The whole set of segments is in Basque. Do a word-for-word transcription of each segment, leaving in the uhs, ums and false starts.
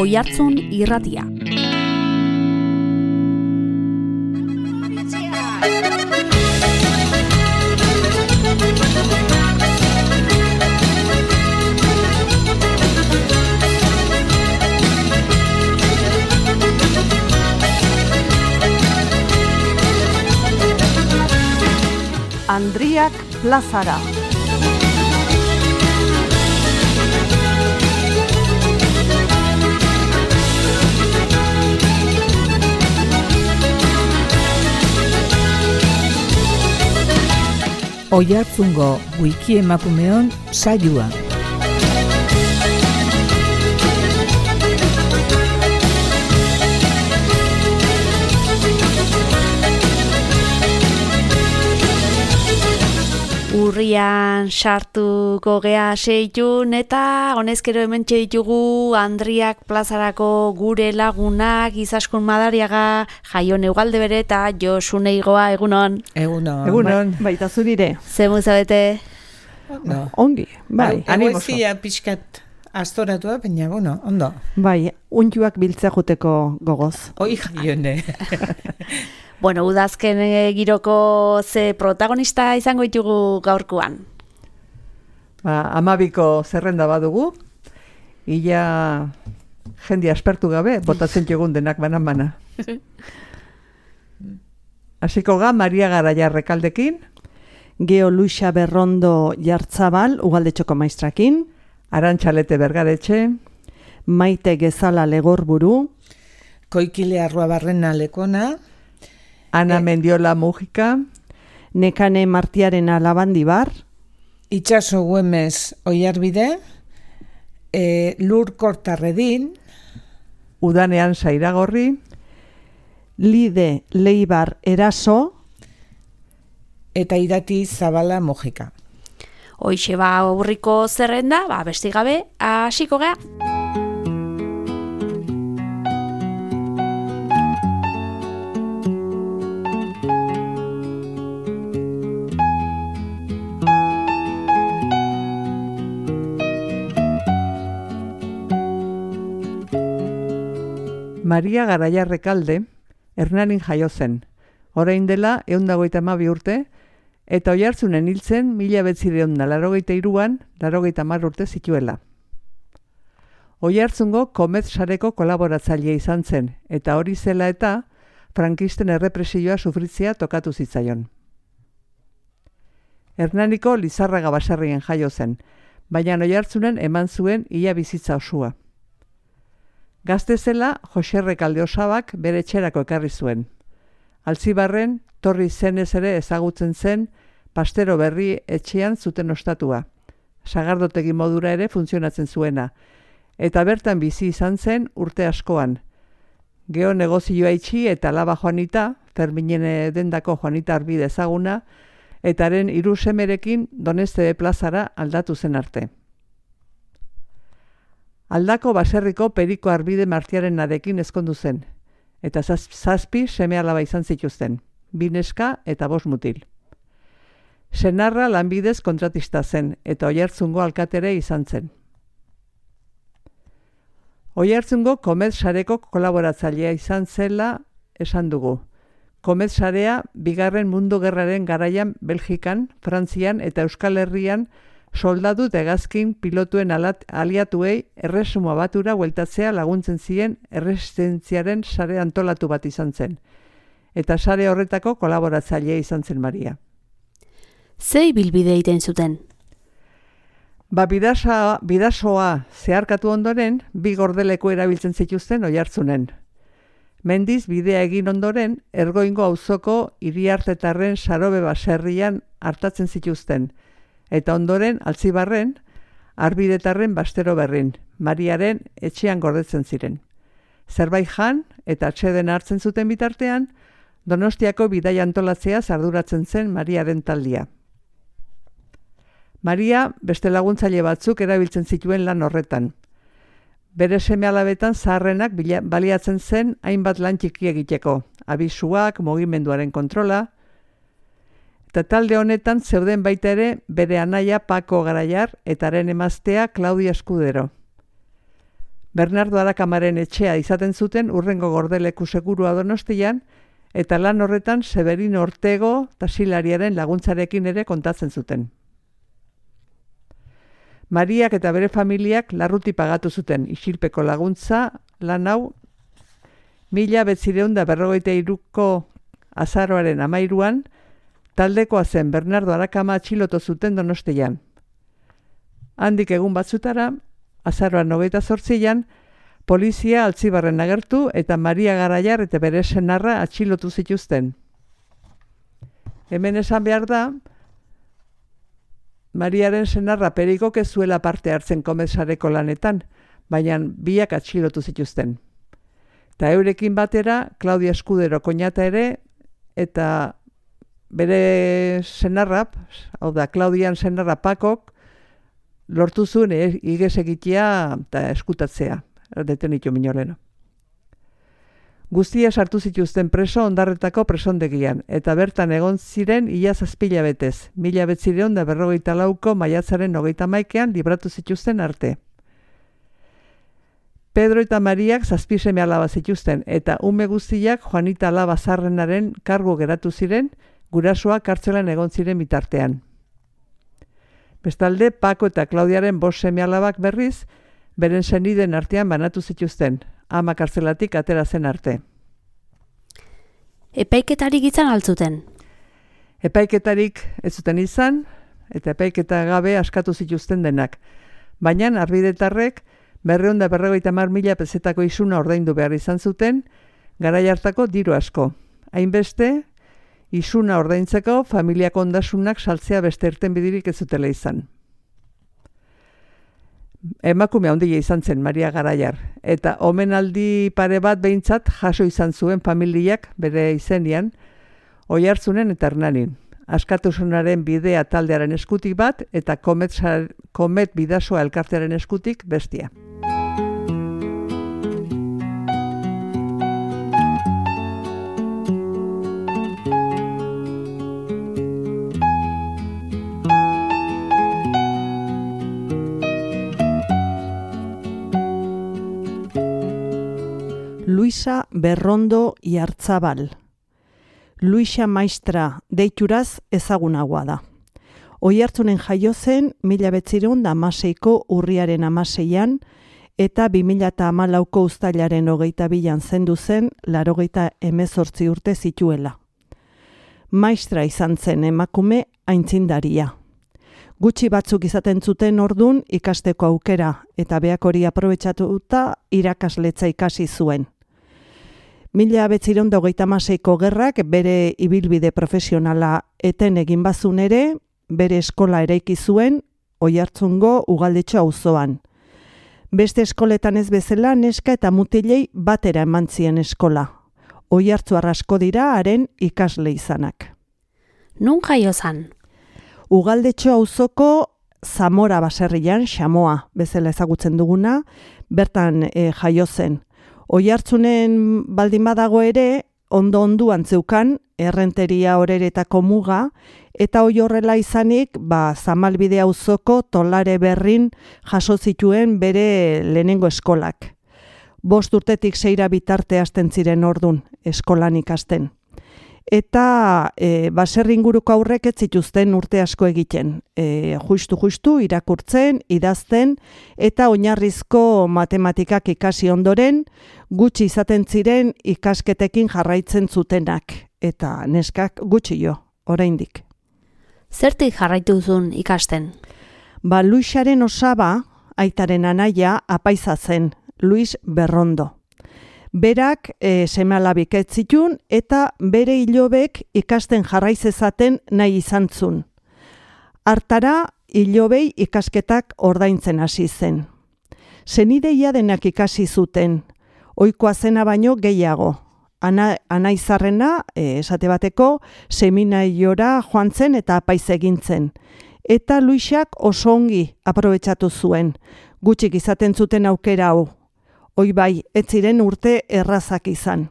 Oihartzun Irratia. Andriak plazara. Oihartzungo wiki emakumeon saioa. Urrian sartuko gea seitun eta honezkero hemen ditugu Andriak plazarako gure lagunak Izaskun Madariaga, Jaion Ugalde bere eta Josune Igoa, egunon. Egunon. Egunon. Ba, baita zurire. Zemu zabete? No. Ongi, bai. Egoizia pixkat astoratua, baina, bueno, ondo. Bai, untuak biltzea joteko gogoz. Oi, Jaione. Bueno, udazken giroko ze protagonista izango ditugu gaurkoan? Ba, amabiko zerrenda badugu, ia jende aspertu gabe, botatzen txegun denak banan-bana. Hasiko ga, Maria Garaia Rekaldekin, Geo Luisa Berrondo Jartzabal, Ugaldetxoko maistrakin, Arantxalete Bergaretxe, Maite Gezala Legorburu, Koikile Arruabarrena Lekona, Ana Mendiola Mujika, Nekane Martiarena Labandibar, Itxaso Güemes Oiarbide, e, Lur Kortarredin, Udanean Zairagorri, Lide Leibar Eraso, eta Irati Zabala Mujika. Hoixe ba aurriko zerrenda, ba beste gabe hasiko gea. Maria Garaia Rekalde, Hernanin jaio zen. Orain dela ehun eta hogeita hamabi urte, eta Oiartzunen hiltzen mila bederatziehun eta laurogeita hiruan, laurogeita hamar urte zituela. Oiartzungo Komet sareko kolaboratzailea izan zen, eta hori zela eta frankisten errepresioa sufritzea tokatu zitzaion. Hernaniko Lizarraga baserrien jaio zen, baina Oiartzunen eman zuen ia bizitza osua. Gazte zela, Jose Rekalde Osabak bere etxerako ekarri zuen. Altzibarren, Torri zenez ere ezagutzen zen, pastero berri etxean zuten ostatua. Sagardotegi modura ere funtzionatzen zuena. Eta bertan bizi izan zen urte askoan. Geo negozioa itxi eta laba Juanita, Ferminen dendako Juanita Arbide ezaguna, eta haren hiru semerekin Doneste plazara aldatu zen arte. Aldako baserriko Periko Arbide Martiarenarekin ezkondu zen, eta zazpi seme alaba izan zituzten, bi neska eta bost mutil. Senarra lanbidez kontratista zen, eta Oiartzungo alkatere izan zen. Oiartzungo Komet sareko kolaboratzailea izan zela esan dugu. Komet sarea bigarren mundu gerraren garaian Belgikan, Frantzian eta Euskal Herrian soldadu eta hegazkin pilotuen alat, aliatuei erresuma batura bueltatzea laguntzen zien erresistentziaren sare antolatu bat izan zen. Eta sare horretako kolaboratzailea izan zen Maria. Zei bilbide egiten zuten? Ba, bidasa, bidasoa zeharkatu ondoren, bi gordeleko erabiltzen zituzten Oiartzunen. Mendiz bidea egin ondoren, Ergoingo auzoko Iriartetarren Sarobe baserrian hartatzen zituzten, eta ondoren Altzibarren, Arbidetarren Bastero berrin, Mariaren etxean gordetzen ziren. Zerbait jan eta atseden hartzen zuten bitartean, Donostiako bidaia antolatzea arduratzen zen Mariaren taldia. Maria beste laguntzaile batzuk erabiltzen zituen lan horretan. Bere seme-alabetan zaharrenak baliatzen zen hainbat lan txiki egiteko, abisuak, mugimenduaren kontrola, eta talde honetan zeuden baita ere bere anaia Pako Garaiar eta haren emaztea Claudia Eskudero. Bernardo Arakamaren etxea izaten zuten urrengo gordeleku segurua Donostian, eta lan horretan Severino Ortego taxilariaren laguntzarekin ere kontatzen zuten. Mariak eta bere familiak larruti pagatu zuten isilpeko laguntza lan hau mila bederatziehun eta berrogeita hiruko azaroaren hamairuan taldekoa zen Bernardo Arakama atxilotu zuten Donostian. Handik egun batzutara, azaroan hogeita zortzian, polizia Altzibarren agertu eta Maria Garaiar eta bere senarra atxilotu zituzten. Hemen esan behar da, Mariaren senarra Perikok ez zuela parte hartzen komesareko lanetan, baina biak atxilotu zituzten. Eta eurekin batera, Claudia Escudero koñata ere, eta bere senarra, hau da, Claudian senarra Pakok, lortu zuen igez egitea eta eskutatzea, detenitu minoleno. Guztia sartu zituzten preso Ondarretako presondegian, eta bertan egon ziren ia zazpila betez, mila betzireon da berrogeita lauko maiatzaren hogeita maikean libratu zituzten arte. Pedro eta Mariak zazpi seme alaba zituzten, eta ume guztiak Juanita Alaba Zarrenaren kargu geratu ziren, gurasoak kartzelan egon ziren bitartean. Bestalde, Pako eta Klaudiaren bost seme alabak berriz, beren seniden artean banatu zituzten, ama kartzelatik atera zen arte. Epaiketarik izan altzuten? Epaiketarik ez zuten izan, eta epaiketa gabe askatu zituzten denak. Baina arbidetarrek berrehun eta berrogeita hamar mila pezetako isuna ordaindu behar izan zuten, garai hartako diru asko. Hainbeste, isuna ordaintzeko familiak ondasunak saltzea beste irtenbiderik ez zutela izan. Emakume handia izan zen Maria Garaiar, eta omenaldi pare bat behintzat jaso izan zuen familiak bere izenian, Oiartzunen eta Hernanin. Askatasunaren bidea taldearen eskutik bat, eta Komet, Komet Bidasoa elkartearen eskutik bestia. Luisa Berrondo Iartzabal. Luisa Maistra deituraz ezagunagoa da. Oiartzunen jaio zen mila bederatziehun eta hamaseiko urriaren hamaseian eta bi mila hamalauko uztailaren hogeita bian zendu zen laurogeita hemezortzi urte zituela. Maistra izan zen emakume aintzindaria. Gutxi batzuk izaten zuten ordun ikasteko aukera eta beak hori aprobetxatuta irakasletza ikasi zuen. Mila bederatziehun eta hogeita hamaseiko gerrak bere ibilbide profesionala eten egin bazun ere, bere eskola eraiki zuen Oiartzungo Ugaldetxo auzoan. Beste eskoletan ez bezala neska eta mutilei batera eman zien eskola. Oiartzuar asko dira haren ikasle izanak. Nun jaio zan? Ugaldetxo auzoko Zamora baserrian, Xamoa bezala ezagutzen duguna, bertan e, jaio zen. Oiartzunen baldin badago ere, ondo onduan zeukan, errenteria horeretako muga, eta hoi horrela izanik, ba, Zamalbide auzoko Tolare Berrin jaso zituen bere lehenengo eskolak. Bost urtetik seira bitarte hasten ziren ordun eskolan ikasten. Eta e, baserri inguruko aurrek ez zituzten urte asko egiten. E, justu-justu irakurtzen, idazten, eta oinarrizko matematikak ikasi ondoren, gutxi izaten ziren ikasketekin jarraitzen zutenak. Eta neskak gutxi jo, oraindik. Zertik jarraitu duzun ikasten? Ba, Luisaren osaba, aitaren anaia, apaiza zen, Luis Berrondo. Berak e, seme-alabik ez zitun eta bere ilobek ikasten jarraizezaten nahi izan zun. Hartara, ilobei ikasketak ordaintzen hasi zen. Senideia denak ikasi zuten, ohikoa zena baino gehiago. Ana, anaizarrena, e, esate bateko, seminariora joan zen eta apaiz egin zen. Eta Luisak oso ongi aprobetxatu zuen, gutxik izaten zuten aukera hau. Hoi bai, ez ziren urte errazak izan.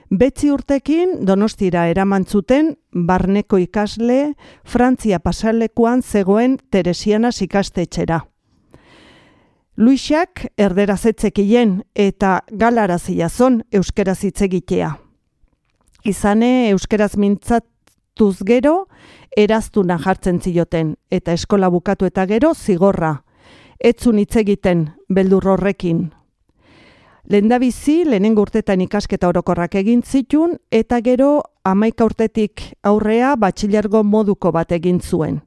Betzi urtekin Donostira eraman zuten barneko ikasle Frantzia pasalekuan zegoen Teresianas ikastetxera. Luisak erderaz etzekien eta galaraz zon euskeraz hitz egitea. Izane euskeraz mintzatuz gero eraztuna jartzen zioten eta eskola bukatu eta gero zigorra. Etzun hitz egiten beldur horrekin. Lehendabizi, lehenengo urtetan ikasketa orokorrak egin zitun, eta gero hamaika urtetik aurrea batxilergo moduko bat egin zuen.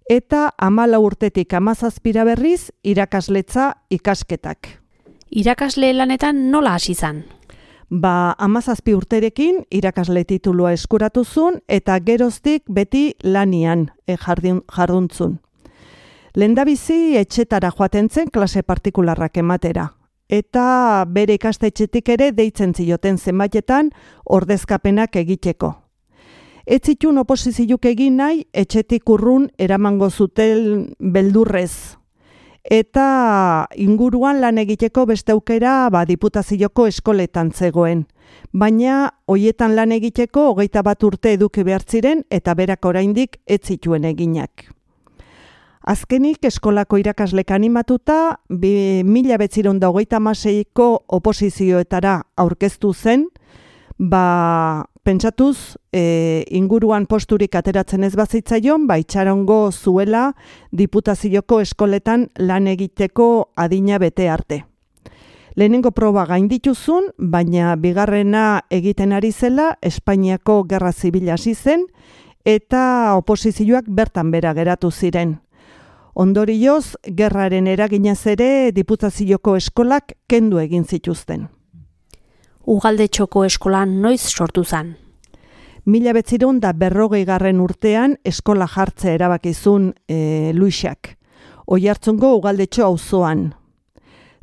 Eta hamala urtetik hamazazpira berriz irakasletza ikasketak. Irakasle lanetan nola hasi izan? Ba, hamazazpi urterekin irakasle titulua eskuratu zuen, eta geroztik beti lanian e, jardun, jarduntzun. Lehendabizi etxetara joaten zen klase partikularrak ematera. Eta bere ikastetxetik ere deitzen zioten zenbaitetan ordezkapenak egiteko. Ez zitun oposiziuk egin nahi etxetik urrun eramango zuten beldurrez. Eta inguruan lan egiteko beste aukera ba, diputazioko eskoletan zegoen. Baina hoietan lan egiteko hogeita bat urte eduki behar ziren eta berak oraindik ez zituen eginak. Azkenik eskolako irakaslek animatuta, mila bederatziehun eta hogeita hamaseiko oposizioetara aurkeztu zen, ba, pentsatuz e, inguruan posturik ateratzen ez bazitzaion, ba, itxarongo zuela diputazioko eskoletan lan egiteko adina bete arte. Lehenengo proba gaindituzun, baina bigarrena egiten ari zela, Espainiako Gerra Zibila hasi zen, eta oposizioak bertan bera geratu ziren. Ondorioz, gerraren eraginaz ere diputazioko eskolak kendu egin zituzten. Ugaldetxoko eskolan noiz sortu zen? Mila bederatziehun eta berrogei garren urtean eskola jartzea erabakizun e, Luisak. Oiartzungo Ugaldetxo auzoan.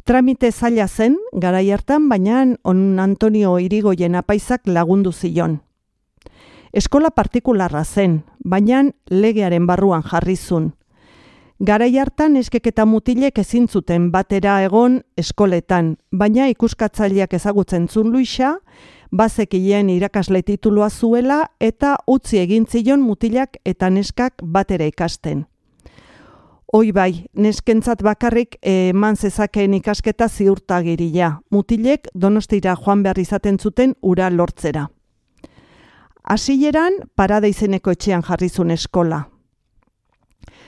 Tramite zaila zen, garai hartan, baina on Antonio Irigoyen apaizak lagundu zion. Eskola partikularra zen, baina legearen barruan jarrizun. Garai hartan eskek eta mutilek ezin zuten batera egon eskoletan, baina ikuskatzaileak ezagutzen zuen Luisa, bazekien irakasle titulua zuela eta utzi egin zion mutilak eta neskak batera ikasten. Hoi bai, neskentzat bakarrik eman zezakeen ikasketa ziurtagiria, mutilek Donostira joan behar izaten zuten ura lortzera. Hasieran Parada izeneko etxean jarrizun eskola.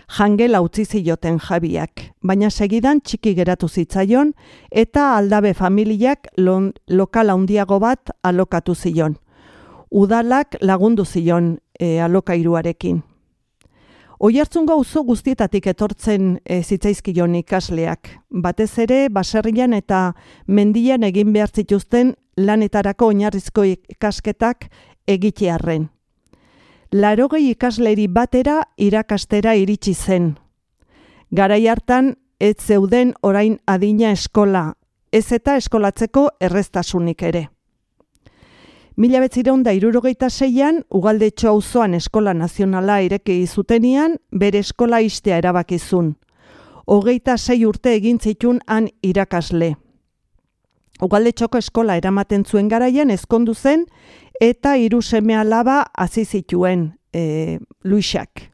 Jangela utzi zioten jabiak, baina segidan txiki geratu zitzaion eta aldabe familiak lon, lokal handiago bat alokatu zion. Udalak lagundu zion e, alokairuarekin. Oiartzungo auzo guztietatik etortzen e, zitzaizkion ikasleak, batez ere baserrian eta mendian egin behar zituzten lanetarako oinarrizko ikasketak egitearren. Larogei ikasleri batera irakastera iritsi zen. Garai hartan ez zeuden orain adina eskola, ez eta eskolatzeko erreztasunik ere. Mila bederatziehun eta hirurogeita seian Ugaldetxo auzoan eskola nazionala ireki zutenian bere eskola ixtea erabakizun. Hogeita sei urte egin zitun han irakasle. Ugaldetxoko eskola eramaten zuen garaian ezkondu zen eta hiru seme alaba hasi zituen e, Luisak.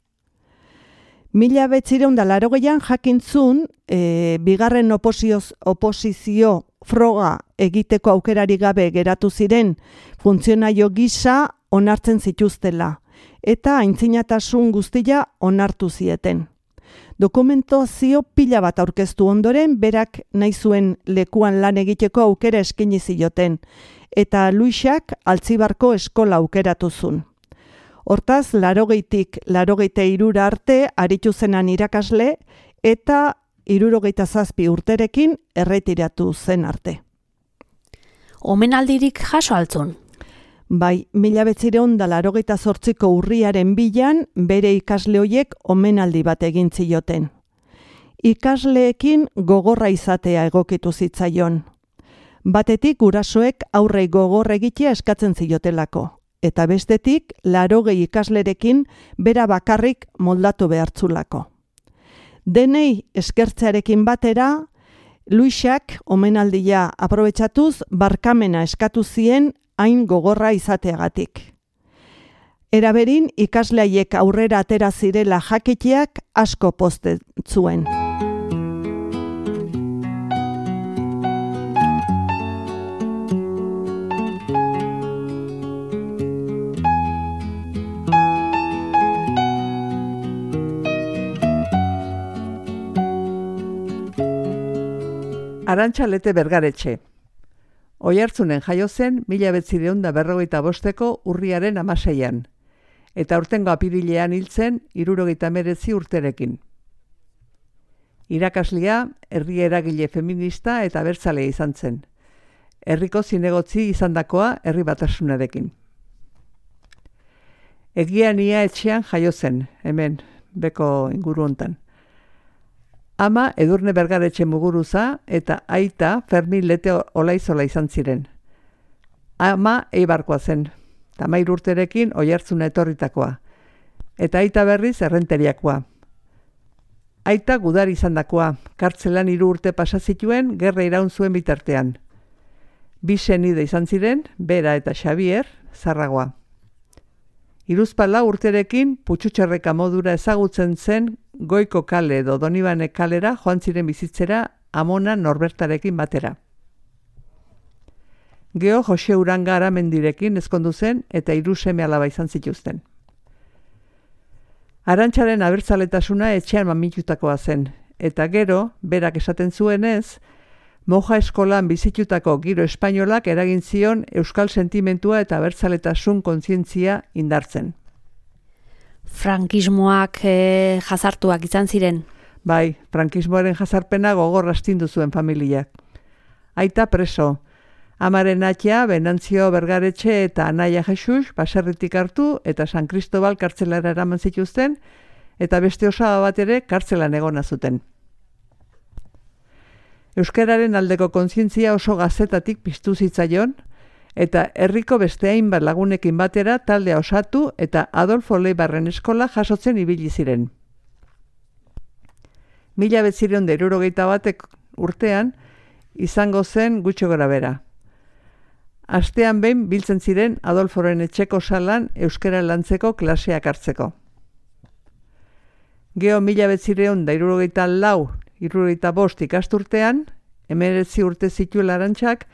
Mila bederatziehun eta laurogeian jakintzun e, bigarren oposizio, oposizio froga egiteko aukerari gabe geratu ziren funtzionario gisa onartzen zituztela eta aintzinatasun guztia onartu zieten. Dokumentazio pila bat aurkeztu ondoren berak nahi zuen lekuan lan egiteko aukera eskaini zioten eta Luisak Altzibarko eskola aukeratu zuen. Hortaz, larogeitik larogeita hirura arte aritu zenan irakasle eta hirurogeita zazpi urterekin erretiratu zen arte. Omenaldirik jaso altzun? Bai, mila bederatziehun eta laurogeita zortziko urriaren bilan bere ikasle hoiek omenaldi bat egin zioten. Ikasleekin gogorra izatea egokitu zitzaion. Batetik gurasoek aurrei gogor egitea eskatzen ziotelako, eta bestetik laurogei ikaslerekin bera bakarrik moldatu behartzulako. Denei eskertzearekin batera, Luisak omenaldia aprobetxatuz barkamena eskatu zien hain gogorra izateagatik. Eraberin ikasleaiek aurrera atera zirela jakiteak asko pozten zuen. Arantxa Lete Bergaretxe. Oiartzunen jaio zen mila bederatziehun eta berrogeita bosteko urriaren hamaseian, eta aurtengo apirilean hil zen hirurogeita hemeretzi urterekin. Irakaslia, herri eragile feminista eta abertzalea izan zen. Herriko zinegotzi izandakoa herri batasunarekin. Egian ia etxean jaio zen, hemen, beko inguru hontan. Ama Edurne Bergaretxe Muguruza eta aita Fermin Lete Olaizola izan ziren. Ama Eibarkoa zen, tamairu urterekin Oiartzuna etorritakoa, eta aita berriz errenteriakoa. Aita gudari izandakoa, kartzelan hiru urte pasa zituen gerra iraun zuen bitartean. Bi senide izan ziren, Bera eta Xabier, Zarragoa. Hiruzpalau urterekin Putxutxerreka modura ezagutzen zen Goiko kale edo Donibane kalera joan ziren bizitzera Amona Norbertarekin batera. Geo Jose Uranga Aramendirekin ezkondu zen eta hiru seme alaba izan zituzten. Arantxaren abertzaletasuna etxean mamitutakoa zen, eta gero, berak esaten zuenez, moja eskolan bizitutako giro espainolak eragin zion euskal sentimentua eta abertzaletasun kontzientzia indartzen. Frankismoak e, jazartuak izan ziren. Bai, frankismoaren jazarpena gogor astindu zuen familiak. Aita preso, amaren atia Benantzio Bergaretxe eta Anaia Jesus baserritik hartu eta San Cristobal kartzelara eraman zituzten, eta beste osaba bat ere kartzelan egona zuten. Euskararen aldeko kontzientzia oso gazetatik piztu zitzaion, eta herriko beste hainbat lagunekin batera taldea osatu eta Adolfo Leibarren eskola jasotzen ibili ziren. Mila bederatziehun eta hirurogeita batek urtean izango zen gutxi gorabehera. Astean behin biltzen ziren Adolforen etxeko salan euskara lantzeko klaseak hartzeko. Geo mila bederatziehun eta hirurogeita lau hirurogeita bost ikasturtean, hemeretzi urte zituen Arantxak,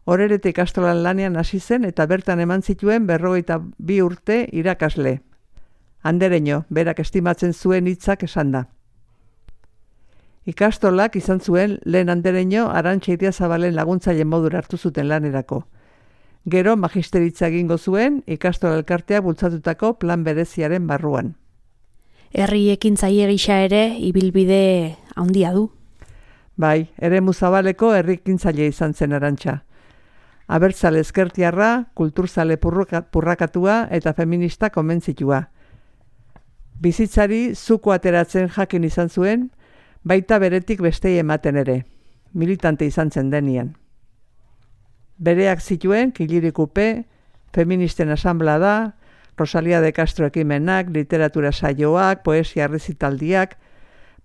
Orerete ikastolan lanean hasi zen eta bertan eman zituen berrogeita bi urte irakasle. Andereño, berak estimatzen zuen hitzak esan da. Ikastolak izan zuen lehen Andereño Arantxa Idiazabalen laguntzaile modura hartu zuten lanerako. Gero magisteritza egingo zuen ikastola elkartea bultzatutako plan bereziaren barruan. Herri ekintzaile gisa ere ibilbide handia du. Bai, eremu zabaleko herri ekintzaile izan zen Arantxa. Abertzale ezkertiarra, kulturzale purrakatua eta feminista konbentzitua. Bizitzari zuko ateratzen jakin izan zuen, baita beretik bestei ematen ere, militante izan zen denian. Bereak zituen Kilirikupe, feministen asanblada, Rosalia de Castro ekimenak, literatura saioak, poesia errezitaldiak,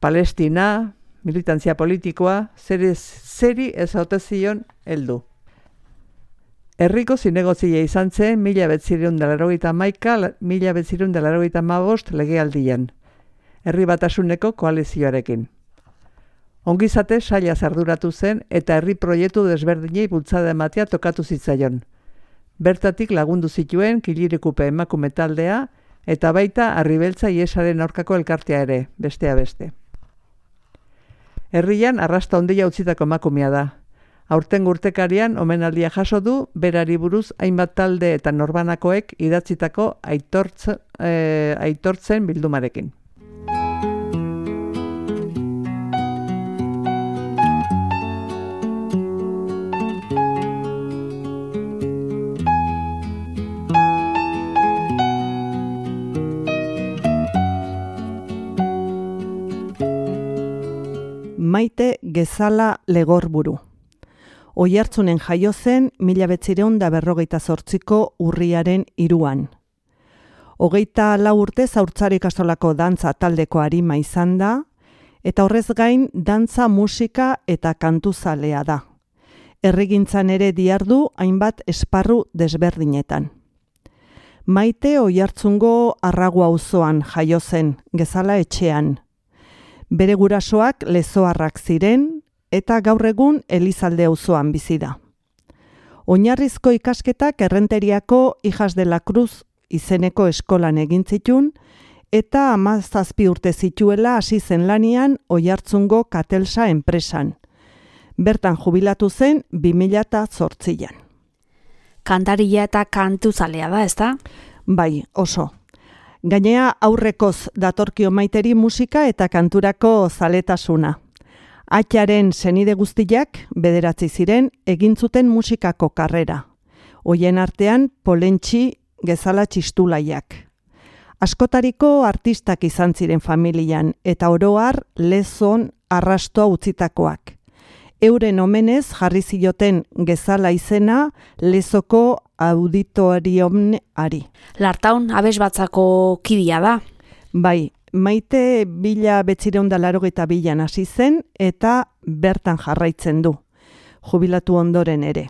Palestina, militantzia politikoa, zeri, zeri ez haute zion heldu. Herriko zinegotzile izan zen mila bederatziehun eta laurogeita hamaika mila bederatziehun eta laurogeita hamabost legealdian, herri batasuneko koalizioarekin. Ongizate saila arduratu zen eta herri proiektu desberdinei bultzada ematea tokatu zitzaion. Bertatik lagundu zituen Kilirikupe emakume taldea eta baita Arribeltza Iesaren aurkako elkartea ere, bestea beste. Herrian arrasta ondia utzitako emakumea da. Aurten urtekarian omenaldia jaso du berari buruz hainbat talde eta norbanakoek idatzitako aitortz, eh, aitortzen bildumarekin. Maite Gezala Legorburu. Oiartzunen jaio zen mila bederatziehun eta berrogeita zortziko urriaren hiruan. Hogeita lau urte Zaurtzaro ikastolako dantza taldeko arima izan da, eta horrez gain dantza, musika eta kantuzalea da. Herrigintzan ere dihardu hainbat esparru desberdinetan. Maite Oiartzungo Arragu auzoan jaio zen, Gezala etxean. Bere gurasoak lezoarrak ziren, eta gaur egun Elizalde auzoan bizi da. Oinarrizko ikasketak Errenteriako Hijas de la Cruz izeneko eskolan egin zitun, eta hamazazpi urte zituela hasi zen lanian Oiartzungo Katelsa enpresan. Bertan jubilatu zen bi mila zortzian. Kantaria eta kantuzalea da, ezta? Bai, oso. Gainea aurrekoz datorkio Maiteri musika eta kanturako zaletasuna. Atxaren senide guztiak bederatzi ziren egin zuten musikako karrera. Hoien artean Polentxi Gezala txistulaiak. Askotariko artistak izan ziren familian eta oro har lezon arrastoa utzitakoak. Euren omenez jarri zioten Gezala izena Lezoko auditorioari. Lartaun abesbatzako kidea da. Bai, Maite bila betzireun da larogeita bilan hasi zen eta bertan jarraitzen du. Jubilatu ondoren ere.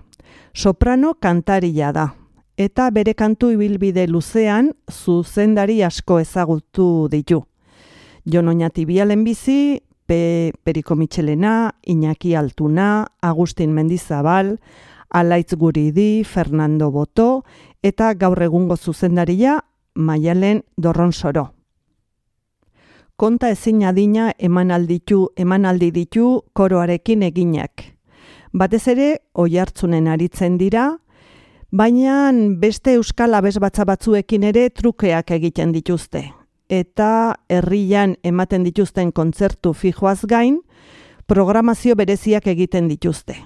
Soprano kantaria da. Eta bere kantu ibilbide luzean zuzendari asko ezagutu ditu. Jon Oñati Lehenbizi, Pe, Periko Mitxelena, Iñaki Altuna, Agustin Mendizabal, Alaitz Guridi, Fernando Boto eta gaur egungo zuzendaria Maialen Dorronsoro. Konta ezin adina eman alditu, eman aldi ditu koroarekin eginak. Batez ere, oihartzunen aritzen dira, baina beste euskal abesbatza batzuekin ere trukeak egiten dituzte. Eta herrian ematen dituzten kontzertu fijoaz gain, programazio bereziak egiten dituzte.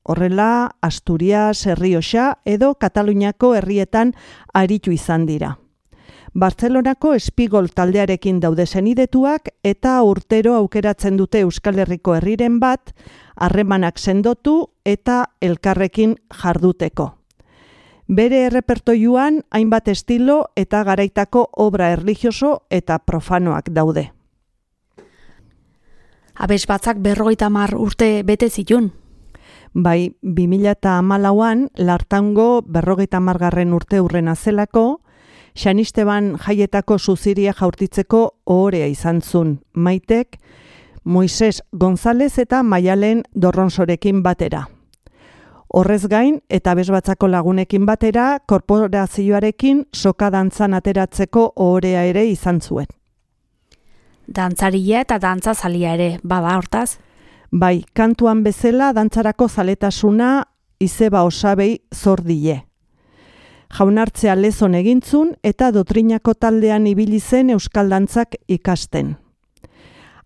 Horrela, Asturias, Errioxa edo Kataluniako herrietan aritu izan dira. Bartzelonako Espigol taldearekin daude senidetuak eta urtero aukeratzen dute Euskal Herriko herriren bat, harremanak sendotu eta elkarrekin jarduteko. Bere errepertoiuan hainbat estilo eta garaitako obra erlijioso eta profanoak daude. Abesbatzak berrogeita hamar urte bete zitun. Bai, bi mila hamalauan Lartango berrogeita hamargarren urte urrena zelako, Xanisteban jaietako suziria jaurtitzeko ohorea izan zun, Maitek, Moises González eta Maialen Dorronsorekin batera. Horrez gain, eta abesbatzako lagunekin batera, korporazioarekin soka dantzan ateratzeko ohorea ere izan zuen. Dantzaria eta dantzazalia ere, bada hortaz? Bai, kantuan bezala dantzarako zaletasuna izeba osabei zor die. Jaunartzea lezon egintzun eta dotrinako taldean ibili zen euskal dantzak ikasten.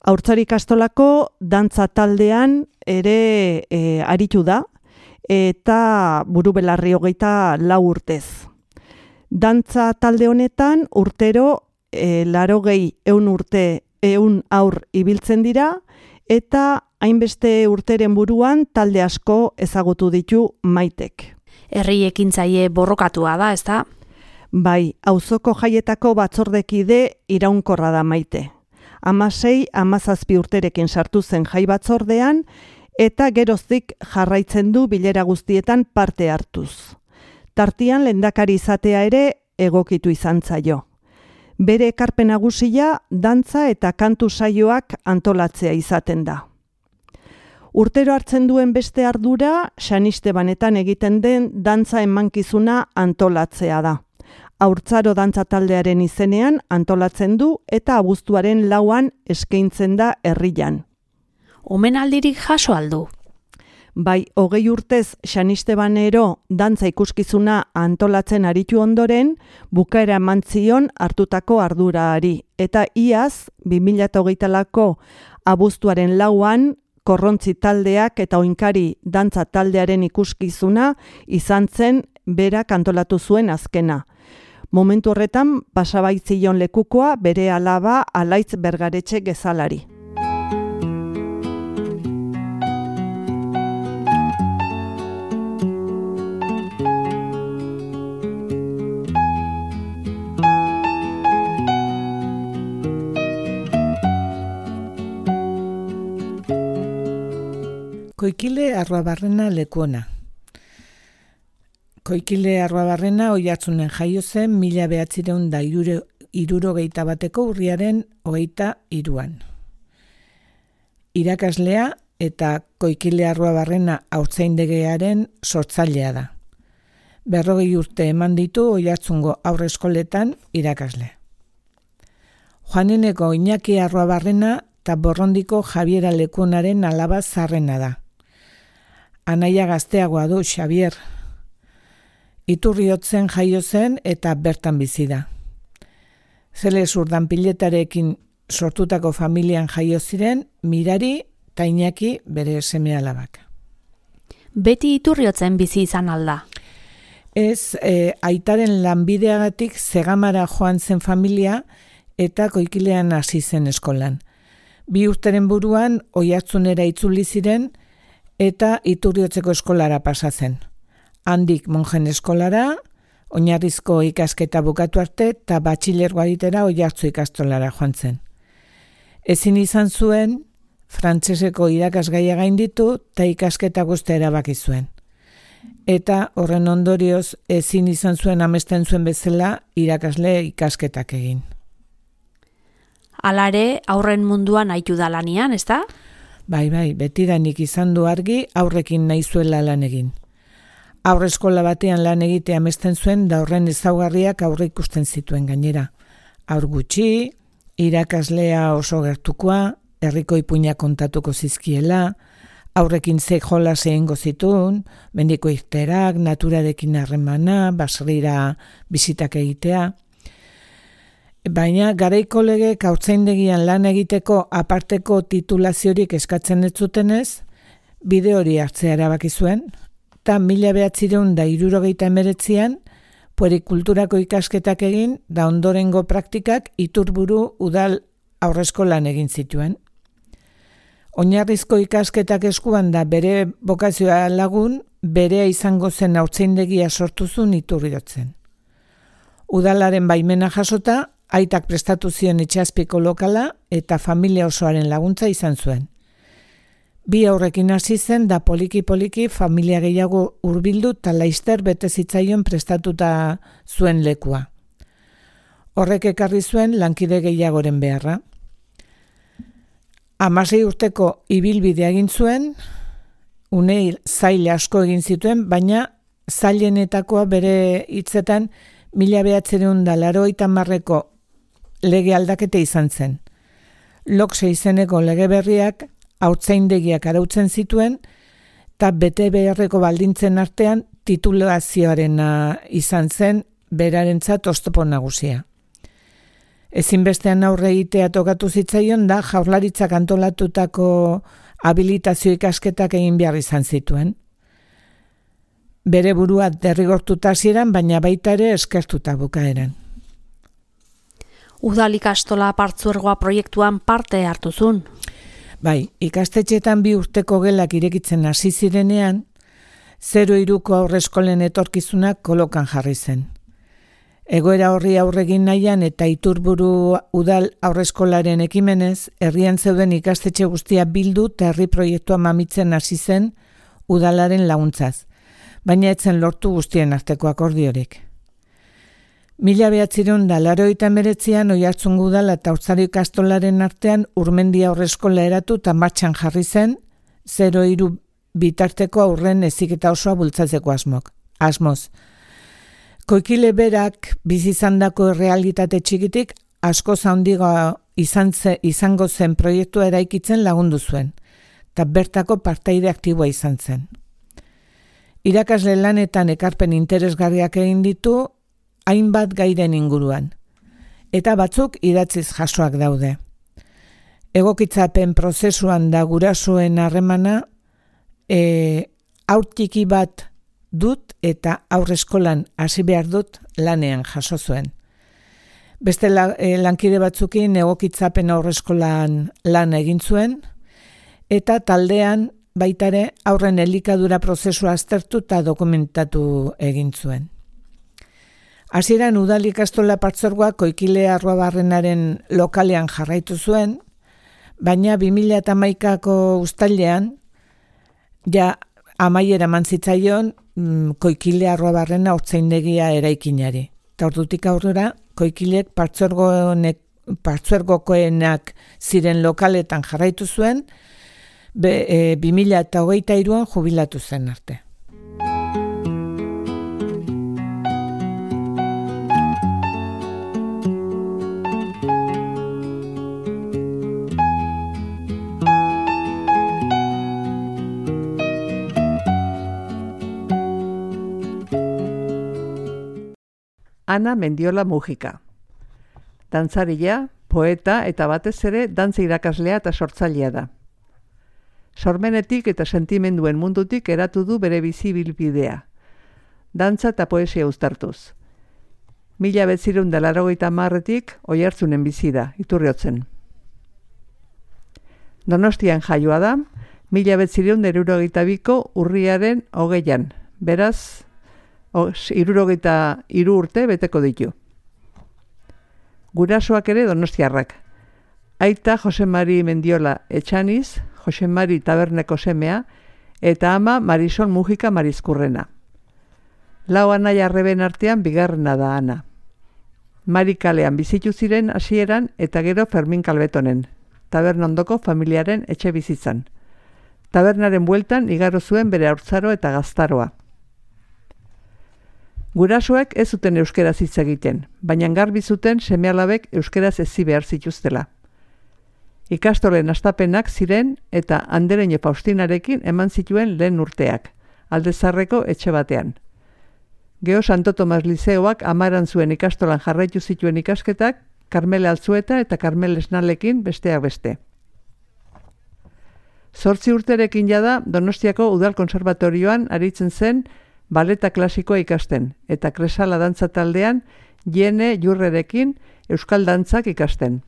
Haurtzari ikastolako dantza taldean ere e, aritu da, eta burubelarri hogeita lau urtez. Dantza talde honetan urtero e, larogei eun urte eun aur ibiltzen dira, eta hainbeste urteren buruan talde asko ezagutu ditu Maitek. Herri ekintzaile borrokatua da, ezta? Bai, auzoko jaietako batzordekide iraunkorra da Maite. Hamasei, hamazazpi urterekin sartu zen jai batzordean, eta geroztik jarraitzen du bilera guztietan parte hartuz. Tartian lehendakari izatea ere egokitu izan zaio. Bere ekarpen nagusia dantza eta kantu saioak antolatzea izaten da. Urtero hartzen duen beste ardura, Xanistebanetan egiten den dantza emankizuna antolatzea da. Haurtzaro dantza taldearen izenean antolatzen du eta abuztuaren lauan eskaintzen da herrian. Omenaldirik jaso aldu? Bai, hogei urtez Xanistebanero dantza ikuskizuna antolatzen aritu ondoren, bukaera eman zion hartutako ardurari. Eta iaz, bi mila hogeita lauko abuztuaren lauan, Korrontzi taldeak eta Oinkari dantza taldearen ikuskizuna izan zen berak antolatu zuen azkena. Momentu horretan pasabaitzion lekukoa bere alaba Alaitz Bergaretxe Gezalari. Koikile Arruabarrena lekuona. Koikile Arruabarrena Oiartzunen jaio zen mila behatzireun da hirurogeita bateko urriaren hogeita hiruan. Irakaslea eta Koikile Arruabarrena haurtzaindegiaren sortzailea da. Berrogei urte eman ditu Oiartzungo haurreskoletan irakasle. Juanineko Iñaki Arruabarrena eta Borrondiko Javiera Lekuonaren alaba zarrena da. anaia gazteagoa du Xavier. Iturriotzen jaio zen eta bertan bizi da. Zeles Urdanpiletarekin sortutako familian jaio ziren Mirari eta Iñaki bere seme-alabak. Beti Iturriotzen bizi izan alda. Ez, e, aitaren lanbideagatik Zegamara joan zen familia eta Koikilean hasi zen eskolan. Bi urteren buruan Oiartzunera itzuli ziren eta Iturriotzeko eskolara pasa zen. Handik monjen eskolara, oinarrizko ikasketa bukatu arte eta batxilergoa egitera Oiartzu ikastolara joan zen. Ezin izan zuen, frantseseko irakasgaia gainditu eta ikasketa guztia erabaki zuen. Eta horren ondorioz ezin izan zuen amesten zuen bezala irakasle ikasketak egin. Alare, aurren munduan aitu da lanian, ezta? Bai, bai, betidanik izan du argi aurrekin nahi zuela lan egin. Aurre eskola batean lan egitea amesten zuen da horren ezaugarriak aurre ikusten zituen gainera. Aur gutxi, irakaslea oso gertukoa, herriko ipuina kontatuko zizkiela, aurrekin ze jolas egingo zituen, mendiko irterak, naturarekin harremana, baserrira bisitak egitea. Baina garaiko legek haurtzaindegian lan egiteko aparteko titulaziorik eskatzen ez zutenez, bide hori hartzea erabaki zuen, eta mila behatzireun da hirurogeita emeretzian, puerikulturako ikasketak egin, da ondorengo praktikak Iturburu udal aurreskolan egin zituen. Oinarrizko ikasketak eskuan da bere bokazioa lagun, berea izango zen haurtzaindegia sortu zuen Iturriotzen. Udalaren baimena jasota, aitak prestatu zion itxaspiko lokala eta familia osoaren laguntza izan zuen. Bi aurrekin hasi zen da poliki-poliki familia gehiago hurbildu eta laizter bete zitzaion prestatuta zuen lekua. Horrek ekarri zuen lankide gehiagoren beharra. Hamasei urteko ibilbidea egin zuen, une zail asko egin zituen, baina zailenetakoa bere hitzetan mila behatzireun da laurogeita hamarreko lege aldaketa izan zen. Lokse izeneko lege berriak haurtzaindegiak arautzen zituen eta bete beharreko baldintzen artean titulazioarena izan zen berarentzat oztopo nagusia. Ezinbestean aurre egitea tokatu zitzaion da Jaurlaritzak antolatutako habilitazio ikasketak egin behar izan zituen. Bere burua derrigortuta hasieran, baina baita ere eskertuta bukaeran. Udal ikastola partzuergoa proiektuan parte hartu zuen. Bai, ikastetxeetan bi urteko gelak irekitzen hasi zirenean, zero iruko aurreskolen etorkizunak kolokan jarri zen. Egoera horri aurregin nahian eta Iturburu udal aurreskolaren ekimenez, herrian zeuden ikastetxe guztia bildu eta herri proiektua mamitzen hasi zen udalaren laguntzaz, baina etzen lortu guztien arteko akordiorik. Mila behatzireun da laurogeita hemeretzian Oiartzungo udala eta Haurtzaro ikastolaren artean Urmendia aurreskola eratu eta martxan jarri zen, zero hiru bitarteko aurren heziketa osoa bultzatzeko asmok. Asmoz. Koikile berak bizizandako errealitate txikitik asko handigoa izan ze, izango zen proiektua eraikitzen lagundu zuen, eta bertako partaide aktiboa izan zen. Irakasle lanetan ekarpen interesgarriak egin ditu hainbat gairen inguruan, eta batzuk idatziz jasoak daude. Egokitzapen prozesuan da gurasoen harremana, e, haur txiki bat dut eta aurreskolan hasi behar dut lanean jaso zuen. Beste la, e, lankide batzukin egokitzapen aurreskolan lan egin zuen, eta taldean baitare aurren elikadura prozesua aztertu eta dokumentatu egin zuen. Hasieran udal ikastola partzuergoa Koikile Arruabarrenaren lokalean jarraitu zuen, baina bi mila hamaikako uztailean ja amaiera eman zitzaion mm, Koikile Arruabarrena haurtzaindegia eraikinari. Eta ordutik aurrera Koikilek partzuergokoenak ziren lokaletan jarraitu zuen, be, e, bi mila hogeita hiruan jubilatu zen arte. Ana Mendiola Mujika. Dantzaria, poeta eta batez ere dantza irakaslea eta sortzailea da. Sormenetik eta sentimenduen mundutik eratu du bere bizi bilbidea. Dantza eta poesia uztartuz. Mila betzirun da laurogeita hamarretik Oiartzunen bizi da, Iturriotzen. Donostian jaioa da, mila betzirun da hirurogeita biko urriaren hogeian, beraz, hirurogeita hiru urte beteko ditu. Gurasoak ere donostiarrak. Aita Jose Mari Mendiola Etxaniz, Jose Mari Taberneko semea, eta ama Marisol Mujika Marizkurrena. Lau anaia arreben artean bigarrena da Ana. Mari kalean bizitu ziren hasieran eta gero Fermin Kalbetonen, taberna ondoko familiaren etxe bizitzan. Tabernaren bueltan igaro zuen bere haurtzaro eta gaztaroa. Gurasoek ez zuten euskeraz hitz egiten, baina garbi zuten seme-alabek euskeraz ezi behar zituztela. Ikastolen hastapenak ziren eta Andereño Faustinarekin eman zituen lehen urteak, Alde Zaharreko etxe batean. Geo Santo Tomas Lizeoak amaran zuen ikastolan jarraitu zituen ikasketak, Karmele Altzueta eta Karmel Esnalekin besteak beste. Zortzi urterekin jada Donostiako Udal Konservatorioan aritzen zen baleta klasikoa ikasten, eta Kresala dantza taldean Jene Jurrerekin euskal dantzak ikasten.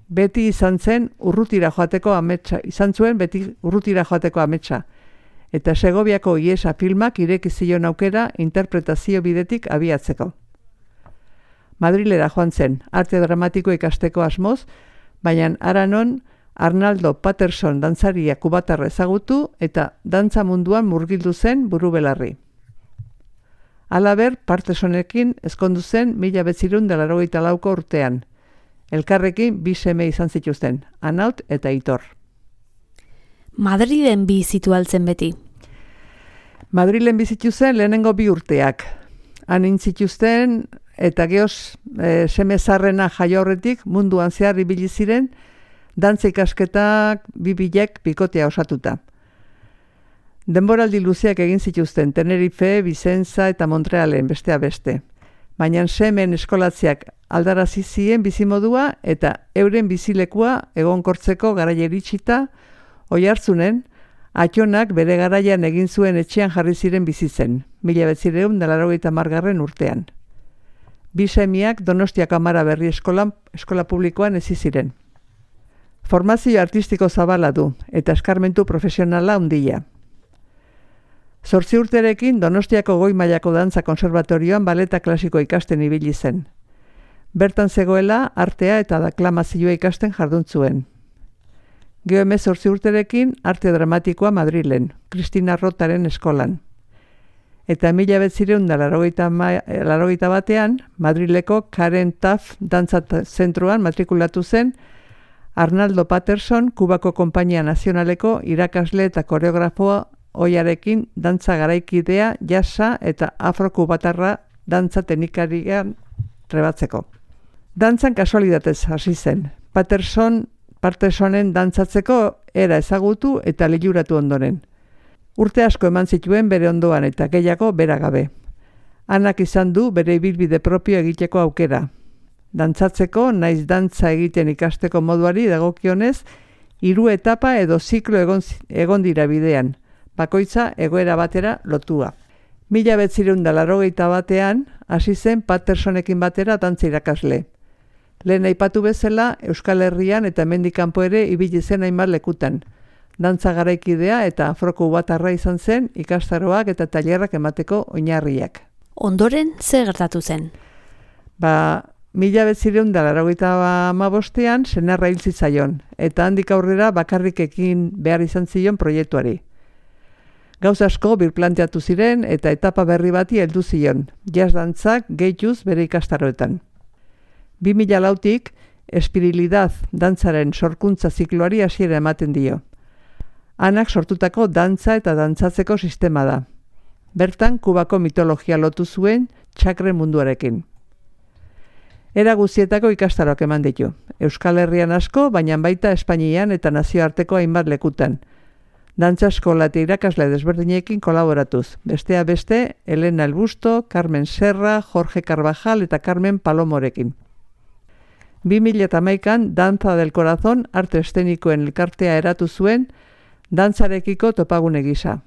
Beti izan zen urrutira joateko ametsa, izan zuen beti urrutira joateko ametsa, eta Segoviako Iesa filmak ireki zion aukera interpretazio bidetik abiatzeko. Madrilera joan zen, arte dramatiko ikasteko asmoz, baina aranon Arnaldo Patterson dantzaria kubatarra ezagutu eta dantza munduan murgildu zen burubelarri. Halaber, Pattersonekin ezkondu zen mila betzirun da laurogeita lauko urtean. Elkarrekin bi seme izan zituzten, Anaut eta Aitor. Madrilen bizitu altzen beti. Madrilen bizitu zen lehenengo bi urteak. Han intzituzten eta geoz e, seme zarrena jaio horretik munduan zehar ibili ziren dantza ikasketak bibilek bikotea osatuta. Denboraldi luzeak egin zituzten Tenerife, Vicenza eta Montrealen bestea beste. Baina semen eskolatziak aldarazi zien bizimodua eta euren bizilekua egonkortzeko garaia iritsita Oiartzunen Atxonak bere garaian egin zuen etxean jarri ziren bizitzen, mila betzirehun da laurogeita hamargarren urtean. Bi semiak Donostiako Amara Berri eskolan, eskola publikoan hezi ziren. Formazio artistiko zabala du eta eskarmentu profesionala handia. Zortzi urterekin Donostiako Goi Mailako Dantza Konservatorioan baleta klasiko ikasten ibili zen. Bertan zegoela artea eta deklamazioa ikasten jardun zuen. Geo hemezortzi urterekin arte dramatikoa Madrilen, Kristina Rotaren eskolan. Eta mila betzirehun da laurogeita batean Madrileko Karen Taff Dantza Zentroan matrikulatu zen Arnaldo Patterson Kubako Konpainia Nazionaleko irakasle eta koreografoa oiarekin dantza garaikidea, jasa eta afro-kubatarra dantza teknikarian trebatzeko. Dantzan kasualidatez hasi zen. Patterson Pattersonen dantzatzeko era ezagutu eta liluratu ondoren. Urte asko eman zituen bere ondoan eta gehiago bera gabe. Anak izan du bere ibilbide propio egiteko aukera. Dantzatzeko, naiz dantza egiten ikasteko moduari dagokionez, hiru etapa edo ziklo egon, egon dira bidean, bakoitza egoera batera lotua. Mila betzirehun da laurogeita batean, hasi zen Pattersonekin batera dantza irakasle. Lehen aipatu bezala, Euskal Herrian eta hemendik kanpo ere ibili zen hainbat lekutan. Dantza garaikidea eta afro-kubatarra izan zen ikastaroak eta tailerrak emateko oinarriak. Ondoren zer gertatu zen? Ba, mila betzirehun da laurogeita hamabostean senarra hil zitzaion, eta handik aurrera bakarrik ekin behar izan zion proiektuari. Gauz asko birplanteatu ziren eta etapa berri bati heldu zion, jazz dantzak gehituz bere ikastaroetan. bi mila lautik, Espirilidad dantzaren sorkuntza zikloari hasiera ematen dio. Anak sortutako dantza eta dantzatzeko sistema da. Bertan, Kubako mitologia lotu zuen txakren munduarekin. Era guztietako ikastaroak eman ditu. Euskal Herrian asko, baina baita Espainian eta nazioarteko hainbat lekutan. dantza eskola eta irakasle desberdinekin kolaboratuz. Bestea beste, Elena Elbusto, Carmen Serra, Jorge Carvajal eta Carmen Palomorekin. bi mila hamaikan Danza del Corazón arte eszenikoen elkartea eratu zuen dantzarekiko topagune gisa.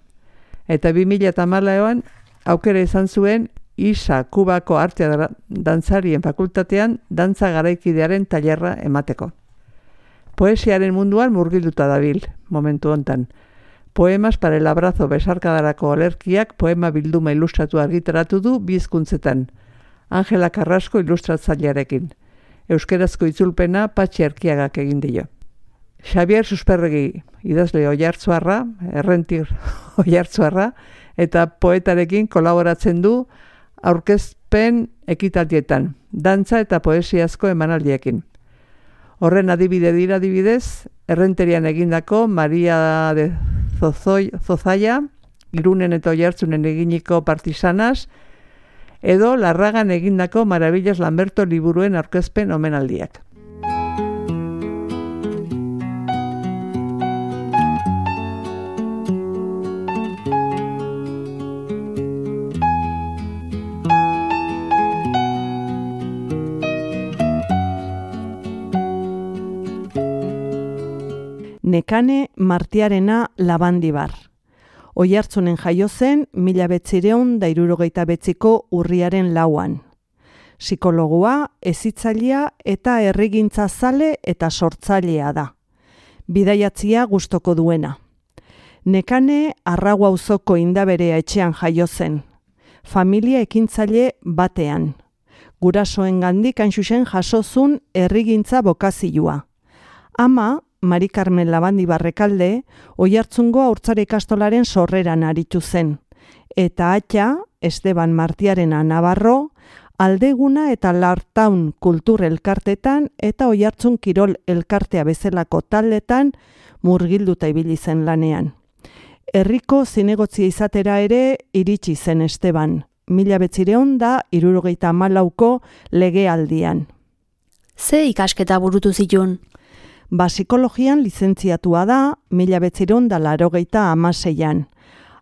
Eta bi mila hamalauan aukera izan zuen I S A Kubako artea dantzarien fakultatean dantza garaikidearen tailerra emateko. Poesiaren munduan murgilduta dabil, momentu hontan. Poemas para el abrazo besarkadarako olerkiak poema bilduma ilustratu argitaratu du bi hizkuntzetan. Angela Carrasco ilustratzailearekin. Euskerazko itzulpena Patxi Erkiagak egin dio. Xabier Susperregi idazle Oiartzuarra, errentir Oiartzuarra, eta poetarekin kolaboratzen du aurkezpen ekitaldietan, dantza eta poesiazko emanaldiekin. Horren adibide dira adibidez, errenterian egindako Maria de Zozoi, Zozaia, Irunen eta Oiartzunen eginiko Partisanas, edo Larragan egindako Maravillas Lamberto liburuen aurkezpen omenaldiak. Nekane Martiarena Labandibar. Oiartzunen jaio zen mila bederatziehun eta hirurogeita bederatziko urriaren lauan. Psikologoa, hezitzailea eta herrigintza zale eta sortzailea da. Bidaiatzia gustoko duena. Nekane Arraua auzoko Indaberea etxean jaio zen. Familia ekintzaile batean. Gurasoengandik hain zuzen jasozun herrigintza bokazioa. Ama Mari Carmen Labandibar Rekalde, Oiartzungo haurtzare ikastolaren sorreran aritu zen. Eta atxa, Esteban Martiarena Navarro, Aldeguna eta Lartaun kultur elkartetan eta Oiartzun kirol elkartea bezalako taldetan murgilduta ibili zen lanean. Herriko zinegotzia izatera ere iritsi zen Esteban, mila bederatziehun eta hirurogeita hamalauko legealdian. Ze ikasketa burutu zituen? Ba, psikologian lizentziatua da, mila bederatziehun eta laurogeita hamaseian.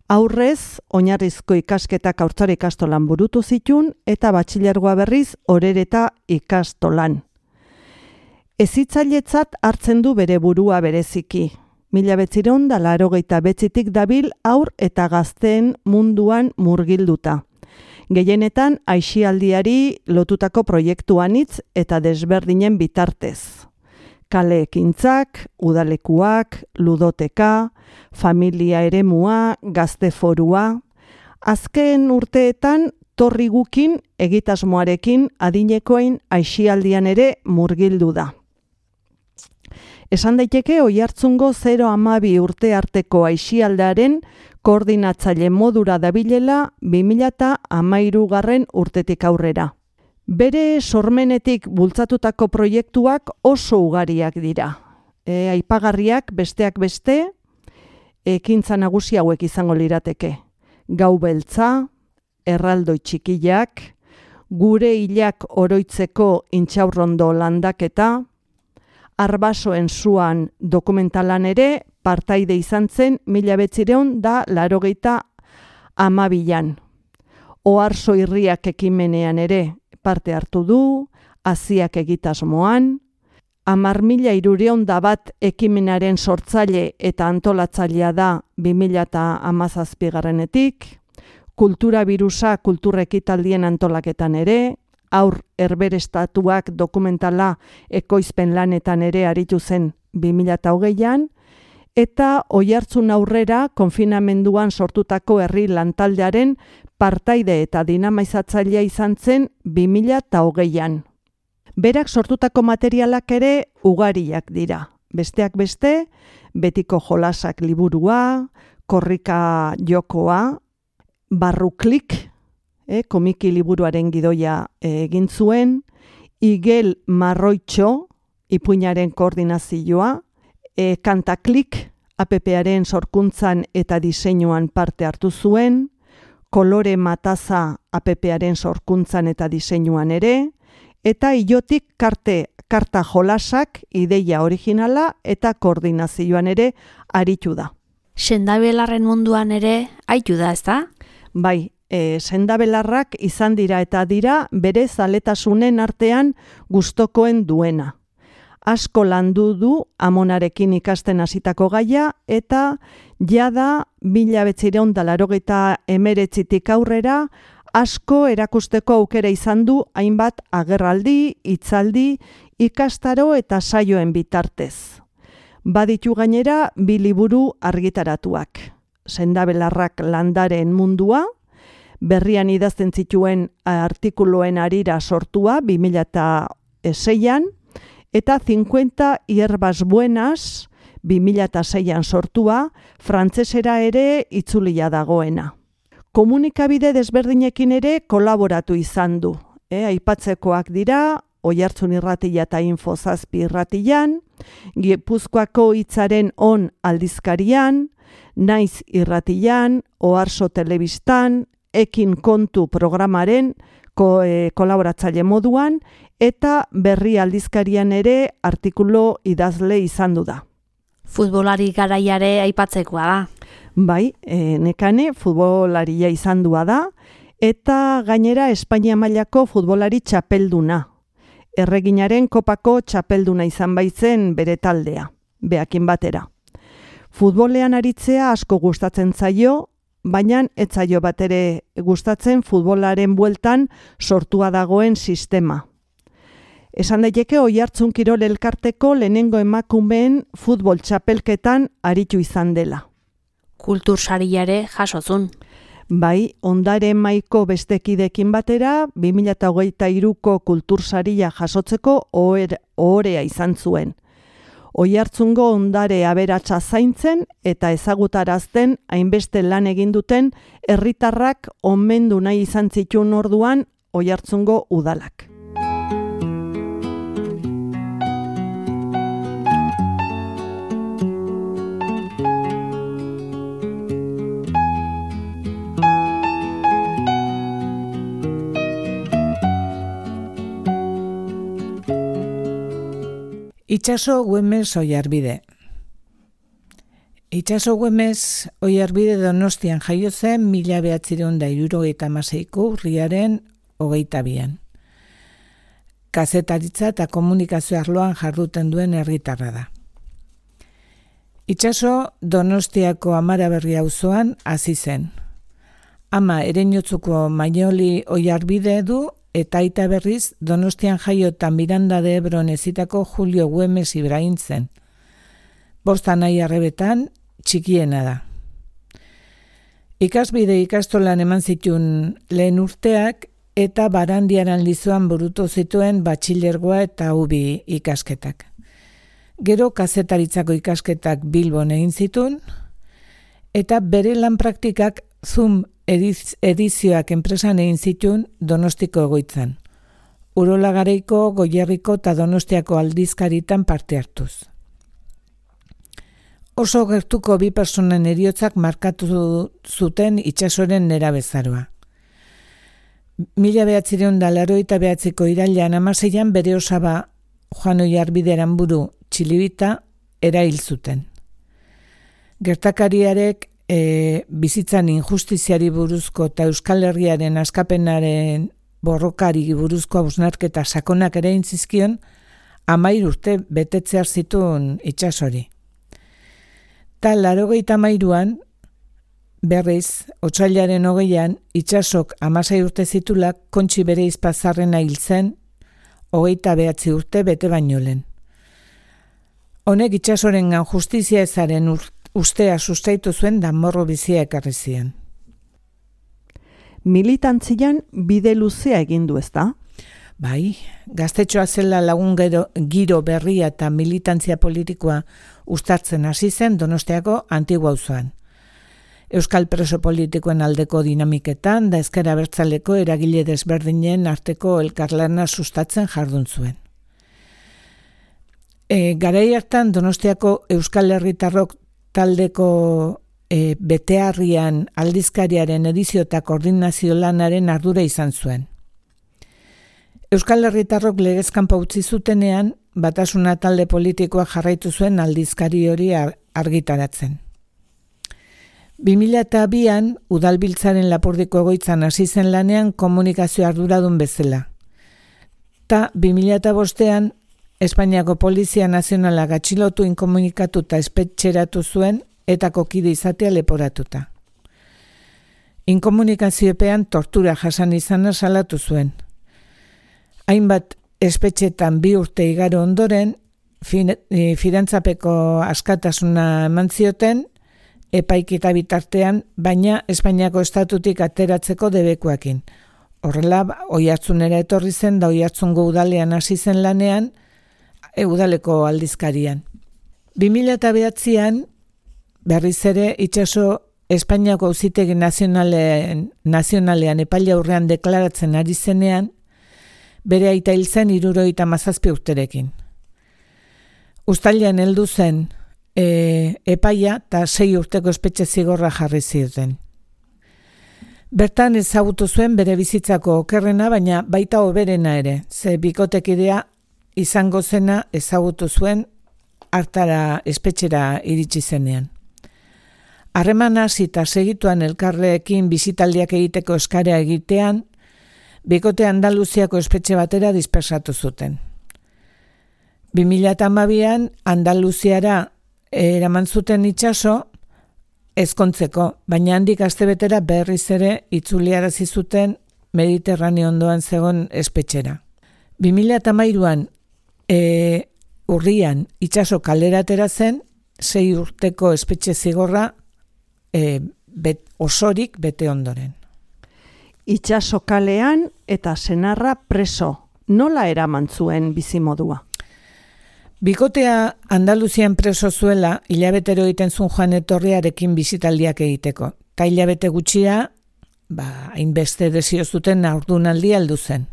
Aurrez, oinarrizko ikasketak haurtzare ikastolan burutu zituen eta batxilergoa berriz orereta ikastolan. Hezitzailetzat hartzen du bere burua bereziki. Mila bederatziehun eta laurogeita bederatzitik dabil haur eta gazteen munduan murgilduta. Gehienetan aisialdiari lotutako proiektuanitz eta desberdinen bitartez. Kale ekintzak, udalekuak, ludoteka, familia eremua, gazte forua. Azken urteetan torri gukin egitasmoarekin adinekoen aisialdian ere murgildu da. Esan daiteke Oiartzungo zero hamabi urte arteko aisialdearen koordinatzaile modura dabilela bi mila hamairugarren urtetik aurrera. Bere sormenetik bultzatutako proiektuak oso ugariak dira. E, aipagarriak besteak beste, ekintza nagusi hauek izango lirateke. Gau beltza, erraldoi txikiak, gure hilak oroitzeko intxaurrondo landaketa, arbasoen zuan dokumentalan ere partaide izan zen mila bederatziehun eta laurogeita hamabian. Oharso irriak ekimenean ere parte hartu du, aziak egitasmoan, hamar mila hirurehun eta bat ekimenaren sortzaile eta antolatzailea da bi mila hamazazpigarrenetik, kultura birusa kulturrekitaldien antolaketan ere, aur herberestatuak dokumentala ekoizpen lanetan ere aritu zen bi mila hogeian, eta Oiartzun aurrera konfinamenduan sortutako herri lantaldearen partaide eta dinamaizatzailea izan zen bi mila hogeian. Berak sortutako materialak ere ugariak dira. Besteak beste, betiko jolasak liburua, korrika jokoa, barruklik, eh, komiki liburuaren gidoia eh, egin zuen, igel marroitxo, ipuinaren koordinazioa, e, kantaklik, appearen sorkuntzan eta diseinuan parte hartu zuen, kolore mataza appearen sorkuntzan eta diseinuan ere, eta ilotik karte, karta jolasak, ideia originala eta koordinazioan ere aritu da. Sendabelarren munduan ere aitu da, ezta? Bai, e, sendabelarrak izan dira eta dira bere zaletasunen artean gustokoen duena. Asko landu du amonarekin ikasten hasitako gaia eta jada mila bederatziehun eta laurogeita hemeretzitik aurrera asko erakusteko aukera izan du hainbat agerraldi, hitzaldi, ikastaro eta saioen bitartez. Baditu gainera bi liburu argitaratuak. Sendabelarrak landaren mundua, berrian idazten zituen artikuluen harira sortua bi mila seian, eta cincuenta hierbas buenas bi mila seian sortua, frantsesera ere itzulia dagoena. Komunikabide desberdinekin ere kolaboratu izan du. E, aipatzekoak dira, Oihartzun irratia eta Info zazpi irratian, Gipuzkoako hitzaren on aldizkarian, Naiz irratian, Oarso telebistan, Ekin kontu programaren ko, e, kolaboratzaile moduan, eta Berri aldizkarian ere artikulu idazle izan du da. Futbolari garaiare aipatzekoa da. Bai, e, nekane futbolaria izan dua da, eta gainera Espainia mailako futbolari txapelduna. Erreginaren kopako txapelduna izan baitzen bere taldea, beakin batera. Futbolean aritzea asko gustatzen zaio, baina ez zaio bat ere gustatzen futbolaren bueltan sortua dagoen sistema. Esan daiteke Oihartzun Kirol Elkarteko lehenengo emakumeen futbol txapelketan aritu izan dela. Kultursaria ere jasozun. Bai, Ondare Maiko bestekidekin batera, bi mila hogeita hiruko kultursaria jasotzeko ohorea izan zuen. Oihartzungo ondare aberatsa zaintzen eta ezagutarazten hainbeste lan egin duten herritarrak omendu nahi izan zituen orduan Oihartzungo udalak. Itxaso Güemes Oiarbide. Itxaso Güemes Oiarbide Donostian jaio zen mila bederatziehun eta hirurogeita hamaseiko urriaren hogeita bian. Kazetaritza eta komunikazio arloan jarduten duen herritarra da. Itxaso Donostiako Amaraberri auzoan hasi zen. Ama Ereñotzuko Mainoli Oiarbide du eta aita berriz Donostian jaio eta Miranda de Ebron ezitako Julio Güemes Ibrahim zen. Bost anai arrebetan txikiena da. Ikasbide ikastolan eman zituen lehen urteak eta Barandiaran Lizoan burutu zituen batxilergoa eta ubi ikasketak. Gero kazetaritzako ikasketak Bilbon egin zituen eta bere lan praktikak Zoom ediz, edizioak enpresan egin zituen Donostiko egoitzan. Urola Garaiko, Goierriko eta Donostiako aldizkaritan parte hartuz. Oso gertuko bi personen heriotzak markatu zuten Itxasoren nerabezaroa. Mila bederatziehun eta laurogeita bederatziko irailean hamaseian bere osaba Juan Oiarbide Aranburu Txilibita erail zuten. Gertakariarek E, bizitzan injustiziari buruzko eta Euskal Herriaren askapenaren borrokari buruzko hausnarketa sakonak ere intzizkion, hamairu urte betetzear zituen Itxasori. Ta laurogeita hamairuan, berriz, otsailaren hogeian, Itxasok hamasei urte zitulak Kontxi bere izpazarrena hil zen, hogeita behatzi urte bete baino lehen. Honek Itxasorengan justizia ezaren urte ustea sustaitu zuen danmorro bizia ekarri zien. Militantzian bide luzea egin du, ezta? Bai, gaztetxoa zela lagun gero, giro berria eta militantzia politikoa uztartzen hasi zen Donostiako Antigua auzoan. Euskal preso politikoen aldeko dinamiketan da ezker abertzaleko eragile desberdinen arteko elkarlana sustatzen jardun zuen. E, garai hartan Donostiako Euskal Herritarrok taldeko e, beteharrian aldizkariaren edizio eta koordinazio lanaren ardura izan zuen. Euskal Herritarrok legezkanpo utzi zutenean, Batasuna talde politikoa jarraitu zuen aldizkari hori argitaratzen. bi mila bian udalbiltzaren Lapurdiko egoitzan hasi zen lanean komunikazio arduradun bezala. Ta bi mila bostean Espainiako Polizia Nazionala atxilotu inkomunikatu eta espetxeratu zuen etako kide izatea leporatuta. Inkomunikaziopean tortura jasan izana salatu zuen. Hainbat espetxetan bi urte igaro ondoren, fidantzapeko askatasuna eman zioten, epaiketa bitartean, baina Espainiako estatutik ateratzeko debekuekin. Horrela, Oiartzunera etorri zen da Oiartzungo udalean hasi zen lanean, e, udaleko aldizkarian. bi mila bederatzian, berriz ere, itxaso Espainiako auzitegi nazionalean, nazionalean epaile aurrean deklaratzen ari zenean, bere aita hil zen hirurogeita hamazazpi urterekin. Uztailean heldu zen e, epaia eta sei urteko espetxe zigorra jarri zioten. Bertan ezagutu zuen bere bizitzako okerrena, baina baita hoberena ere, ze bikotekidea izango zena ezagutu zuen hartara espetxera iritsi zenean. Harremana hasi eta segituan elkarrekin bisitaldiak egiteko eskarea egitean, bikote Andaluziako espetxe batera dispersatu zuten. bi mila hamabian Andaluziara eraman zuten itxaso ezkontzeko, baina handik astebetera berriz ere itzuliarazi zuten Mediterraneo ondoan zegoen espetxera. bi mila hamairuan e, urrian itxaso kaleratera zen, sei urteko espetxe zigorra e, bet, osorik bete ondoren. Itxaso kalean eta senarra preso, nola eraman zuen bizimodua? Bikotea Andaluzian preso zuela, hilabetero egiten zuen joan etorriarekin bisitaldiak egiteko. Ta hilabete gutxira, ba, hainbeste desio zuten haurdunaldi aldu zen.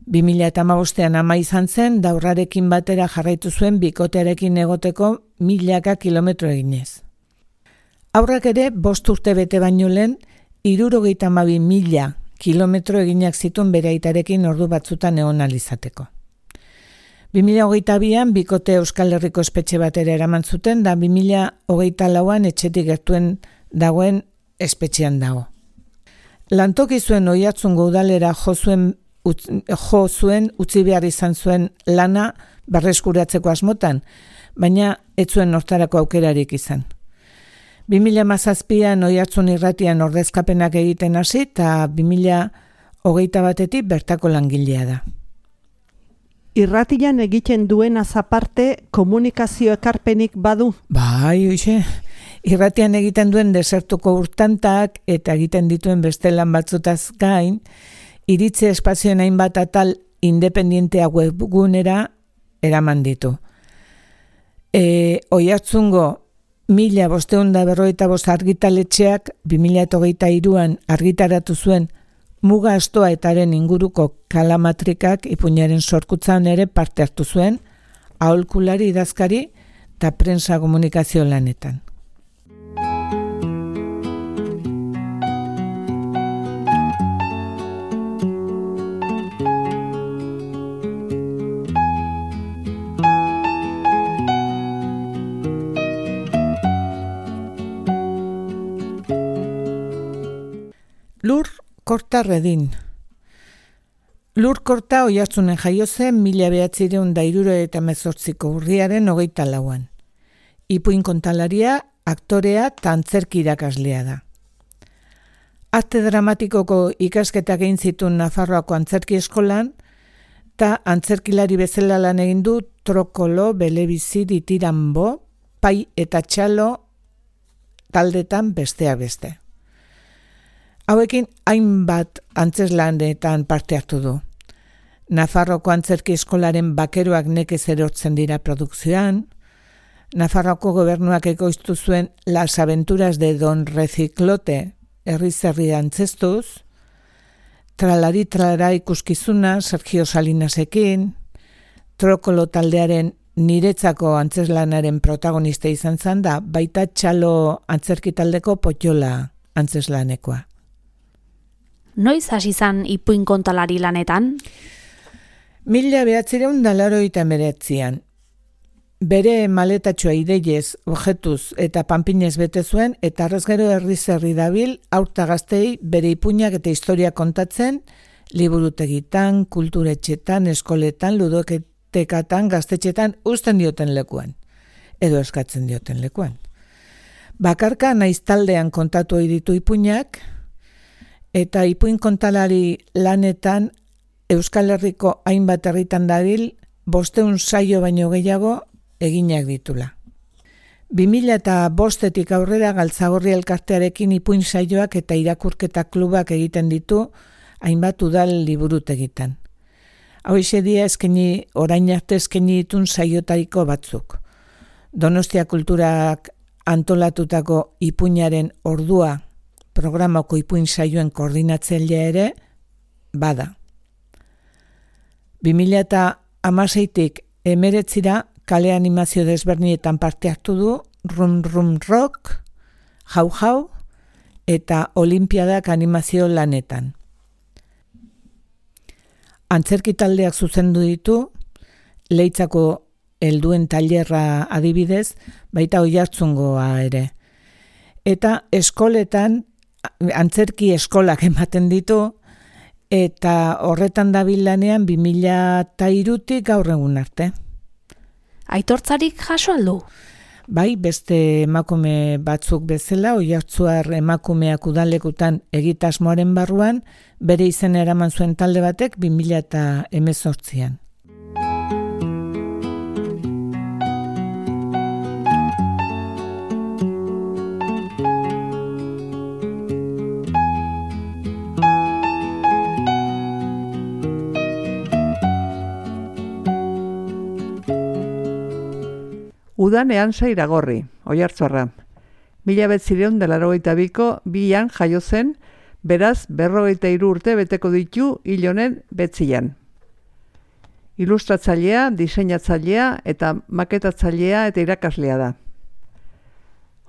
bi mila hamabostean ama izan zen, daurrarekin batera jarraitu zuen bikotearekin egoteko milaka kilometro eginez. Aurrak ere, bost urte bete baino lehen, hirurogeita hamabi mila kilometro eginak zituen bere aitarekin ordu batzutan egon alizateko. bi mila hogeita bian bikote Euskal Herriko espetxe batera eraman zuten, da bi mila hogeita lauan etxetik gertuen dagoen espetxean dago. Lantoki zuen Oiartzungo udalera jo zuen, utz, jo zuen utzi behar izan zuen lana berreskuratzeko asmotan, baina ez zuen hortarako aukerarik izan. bi mila hamazazpian Oiartzun irratian ordezkapenak egiten hasi eta bi mila hogeita batetik bertako langilea da. Irratian egiten duena aparte komunikazio ekarpenik badu? Bai, oixe, irratian egiten duen desertuko urtantak eta egiten dituen beste lan batzutaz gain, iritze espazioen hainbat atal independientea webgunera eraman ditu. E, Oiartzungo mila bosteun da berrogeita bost argitaletxeak bi mila hogeita hiruan argitaratu zuen muga astoa etaren inguruko kalamatrikak ipuinaren sorkutzan ere parte hartu zuen, aholkulari idazkari eta prensa komunikazio lanetan. Lur Korta Redin. Lur Korta Oiartzunen jaio zen mila bederatziehun eta hirurogeita hemezortziko urriaren hogeita lauan. Ipuin kontalaria, aktorea eta antzerki irakaslea da. Arte dramatikoko ikasketak egin zituen Nafarroako antzerki eskolan, eta antzerkilari bezala lan egin du Trokolo, Belebizi, Ditirambo, Pai eta Txalo taldetan besteak beste. Hauekin hainbat antzeslanetan parte hartu du. Nafarroko antzerki eskolaren bakeroak nekez erortzen dira produkzioan, Nafarroko gobernuak ekoiztu zuen Las Aventuras de Don Reciclote herri-zerri antzestuz, Tralari Tralara ikuskizuna Sergio Salinasekin, Trokolo taldearen niretzako antzeslanaren protagonista izan zen da, baita Txalo antzerki taldeko Potiola antzeslanekoa. Noiz hasi zan ipuin kontalari lanetan? Mila behatzireun da laurogeita hemeretzian. bere maletatxoa ideiez, objetuz eta panpinez bete zuen, eta arrez gero herriz herri dabil, aurta gaztei bere ipuinak eta historia kontatzen, liburutegitan, kulturetxetan, eskoletan, ludoketekatan, gaztetxetan, uzten dioten lekuan, edo eskatzen dioten lekuan. Bakarka naiz taldean kontatu ohi ditu ipuinak, eta ipuin kontalari lanetan Euskal Herriko hainbat herritan dabil, bosteun saio baino gehiago eginak ditula. bi mila eta bostetik aurrera Galtzagorri elkartearekin ipuin saioak eta irakurketa klubak egiten ditu hainbat udal liburutegitan. Hau dia eskaini, orain arte eskaini ditun saiotariko batzuk. Donostia Kulturak antolatutako ipuinaren ordua programako ipuin saioen koordinatzailea ere bada. bi mila eta hamaseitik emeretzira kale animazio desberdinetan parte hartu du Rum Rum Rock, Jau Jau eta Olimpiadak animazio lanetan. Antzerki taldeak zuzendu ditu, Leitzako helduen tailerra adibidez, baita Oiartzungoa ere. Eta eskoletan, antzerki eskolak ematen ditu, eta horretan dabil lanean bi mila eta hirutik gaur egun arte. Aitortzarik jaso aldu? Bai, beste emakume batzuk bezala, Oiartzuar emakumeak udalekutan egitasmoaren barruan, bere izen eraman zuen talde batek bi mila eta hemezortzian. Udan Ehansa Iragorri, Oiartzarra. Mila bederatziehun eta laurogeita biko bian jaio zen, beraz berrogeita hiru urte beteko ditu hil honen betzian. Ilustratzailea, diseinatzailea eta maketatzailea eta irakaslea da.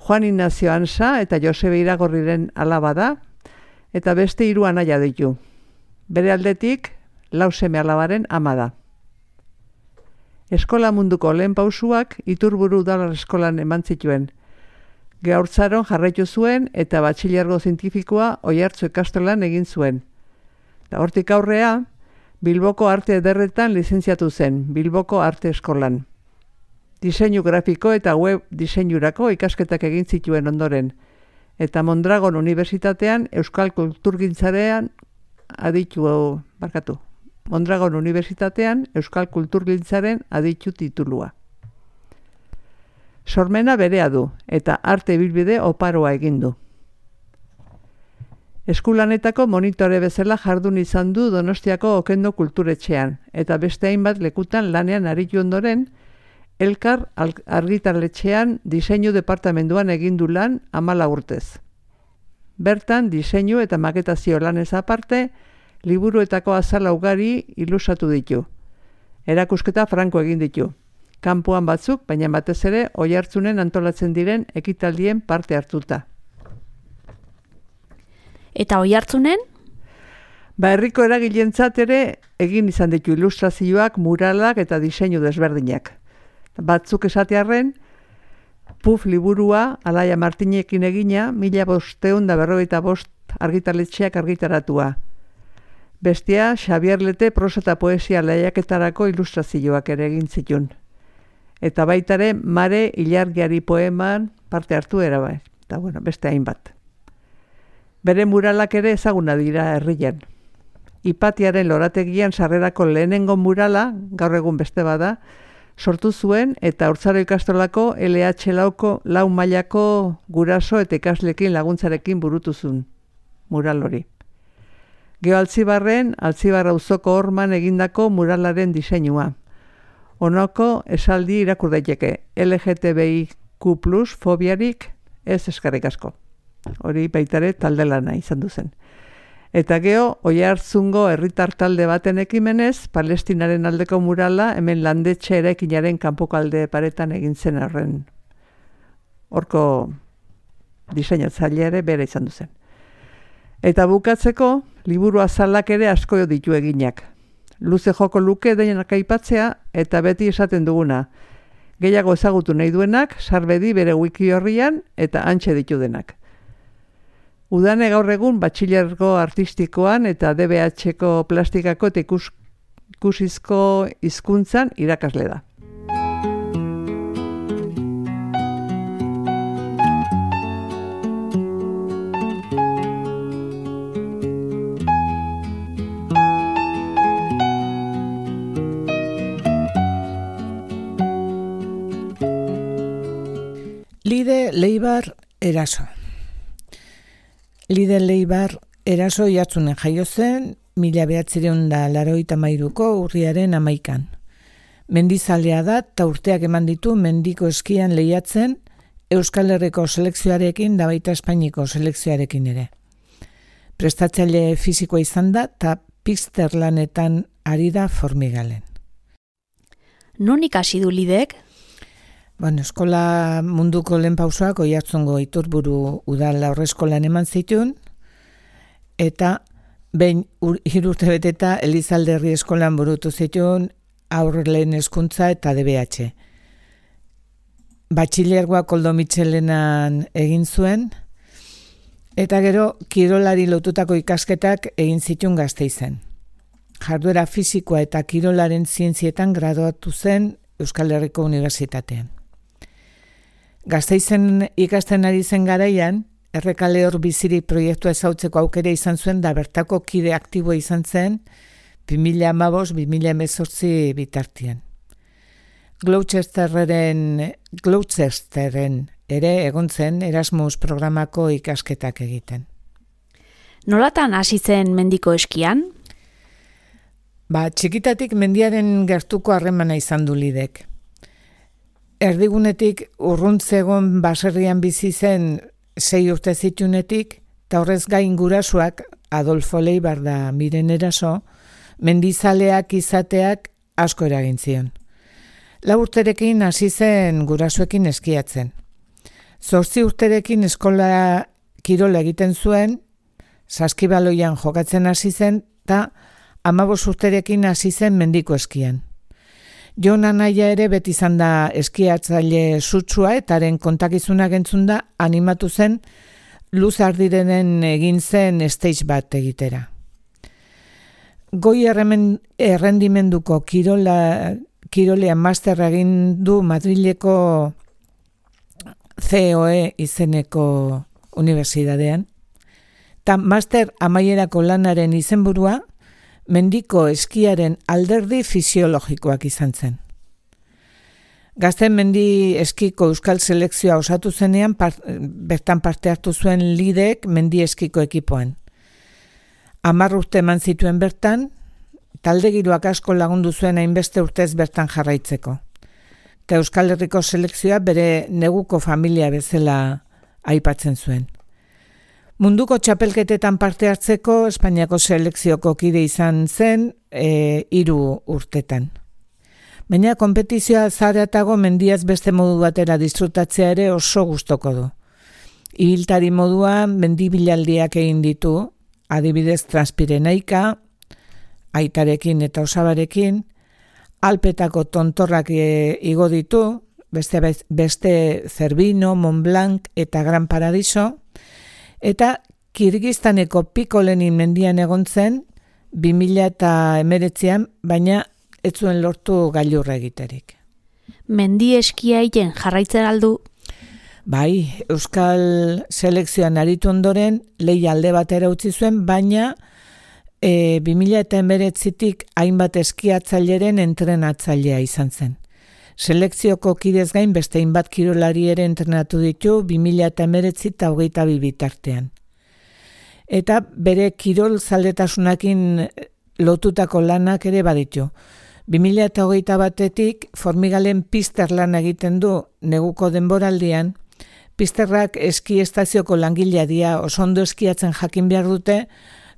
Juan Ignacio Ehansa eta Josebe Iragorriren alaba da, eta beste hiru anaia ditu. Bere aldetik, lau seme alabaren ama da. Eskola munduko lehen pausuak Iturburu Udal Eskolan eman zituen. Gehaurtzaron jarraitu zuen eta batxilergo zientifikoa Oiartzu ikastolan egin zuen. Eta hortik aurrea, Bilboko Arte Ederretan lizentziatu zen, Bilboko Arte Eskolan. Diseinu grafiko eta web diseinurako ikasketak egin zituen ondoren, eta Mondragon Unibertsitatean Euskal Kulturgintzarean aditu, barkatu. Mondragon Unibertsitatean Euskal Kulturgintzaren aditu titulua. Sormena berea du eta arte ibilbide oparoa egin du. Eskulanetako monitore bezala jardun izan du Donostiako Okendo Kulturetxean eta beste hainbat lekutan lanean aritu ondoren, Elkar argitarletxean diseinu departamentuan egin du lan hamala urtez. Bertan diseinu eta maketazio lanez aparte, liburuetako azala ugari ilustratu ditu. Erakusketa franko egin ditu. Kanpoan batzuk, baina batez ere Oiartzunen antolatzen diren ekitaldien parte hartuta. Eta Oiartzunen? Ba, herriko eragilentzat ere egin izan ditu ilustrazioak, muralak eta diseinu desberdinak. Batzuk esatearren, Puf liburua Alaia Martinekin egina, mila bosteun da berrogeita bost argitaletxeak argitaratua. Bestia, Xabier Lete prosa eta poesia lehiaketarako ilustrazioak ere egin zitun. Eta baitare Mare Ilargiari poeman parte hartu erabai. Eta bueno, beste hainbat. Bere muralak ere ezaguna dira herrian. Ipatiaren lorategian sarrerako lehenengo murala, gaur egun beste bada, sortu zuen eta Haurtzaro ikastolako L H lauko lau mailako guraso eta ikaslekin laguntzarekin burutu zuen mural hori. Geo Altzibarren, Altzibar auzoko horman egindako muralaren diseinua. Honako esaldi irakur daiteke, L G T B I Q plus fobiarik ez eskerrik asko. Hori baitare talde lana izan duzen. Eta geo, Oiartzungo herritar talde baten ekimenez, Palestinaren aldeko murala hemen landetxe eraikinaren kanpoko alde paretan egin zen horren. Horko diseinatzailea ere bera izan duzen. Eta bukatzeko, liburu azalak ere asko ditu eginak. Luze joko luke denak aipatzea eta beti esaten duguna. Gehiago ezagutu nahi duenak, sarbedi bere wiki horrian eta hantxe ditu denak. Udane gaur egun batxilergo artistikoan eta D B H-ko plastikako eta ikus, ikusizko hizkuntzan irakasle da. Lide Leibar Eraso. Lide Leibar Eraso jartzunen jaio zen, mila behatzireun da laroita mairuko urriaren amaikan. Mendizalea da, eta urteak eman ditu mendiko eskian lehiatzen Euskal Herriko selekzioarekin da baita Espainiko selekzioarekin ere. Prestatzaile fisikoa izan da, eta pizter lanetan ari da Formigalen. Non ikasi du Lidek? Bueno, eskola munduko lehen pausoak Oiartzungo Iturburu udal aurreskolan eman zituen, eta behin hiru urte beteta Elizalderri eskolan burutu zituen aurre lehen hezkuntza eta D B H. Batxilergoa Koldo Mitxelenan egin zuen, eta gero kirolari lotutako ikasketak egin zituen Gasteizen. Jarduera fisikoa eta kirolaren zientzietan graduatu zen Euskal Herriko Unibertsitatean. Gasteizen ikasten ari zen garaian, Errekale hor bizirik proiektua ezautzeko aukera izan zuen da bertako kide aktiboa izan zen bi mila hamabost bi mila hemezortzi bitartian. Gloucesterren, Gloucesterren ere egon zen Erasmus programako ikasketak egiten. Nolatan hasi zen mendiko eskian? Ba, txikitatik mendiaren gertuko harremana izan du Lidek. Erdigunetik urruntzegon baserrian bizi zen sei urte zitunetik, eta horrez gain gurasoak, Adolfo Leibar da Miren Eraso, mendizaleak izateak asko eragin zion. Lau urterekin hasi zen gurasoekin eskiatzen. Zortzi urterekin eskola kirola egiten zuen, saskibaloian jokatzen hasi zen, eta hamabos urterekin hasi zen mendiko eskian. Jon anaia ere beti izan da eskiatzaile sutsua eta haren kontakizunak entzun da animatu zen luz ardirenen egin zen stage bat egitera. Goi erremen, errendimenduko kirola, kirolean master egin du Madrileko C O E izeneko unibertsitatean. Ta master amaierako lanaren izenburua mendiko eskiaren alderdi fisiologikoak izan zen. Gazten mendi eskiko euskal selekzioa osatu zenean part, bertan parte hartu zuen Lidek mendi eskiko ekipoan. Hamar urte eman zituen bertan, talde giroak asko lagundu zuen hainbeste urtez bertan jarraitzeko. Eta Euskal Herriko selekzioa bere neguko familia bezala aipatzen zuen. Munduko txapelketetan parte hartzeko Espainiako selekzioko kide izan zen e, hiru urtetan. Baina konpetizioa zaratago mendiaz beste modu batera disfrutatzea ere oso gustoko du. Ibiltari moduan mendibilaldiak egin ditu, adibidez Transpirenaika, aitarekin eta osabarekin, Alpetako tontorrak e, igo ditu, beste, beste Zerbino, Mont Blanc eta Gran Paradiso, eta Kirgistaneko Pikolenin mendian egon zen bi mila hemeretzian, baina ez zuen lortu gailurra egiterik. Mendi eskia egiten jarraitzen aldu? Bai, Euskal selekzioan aritu ondoren lehia alde batera utzi zuen, baina e, bi mila hemeretzitik hainbat eskiatzaileren entrenatzailea izan zen. Selekzioko kidez gain beste hainbat kirolari ere entrenatu ditu bi mila hemeretzi eta hogeita bi bitartean. Eta bere kirol zaletasunakin lotutako lanak ere baditu. bi mila hogeita batetik Formigalen pizter lan egiten du neguko denboraldian. Pizterrak eski estazioko langilea dira, oso ondo eskiatzen jakin behar dute,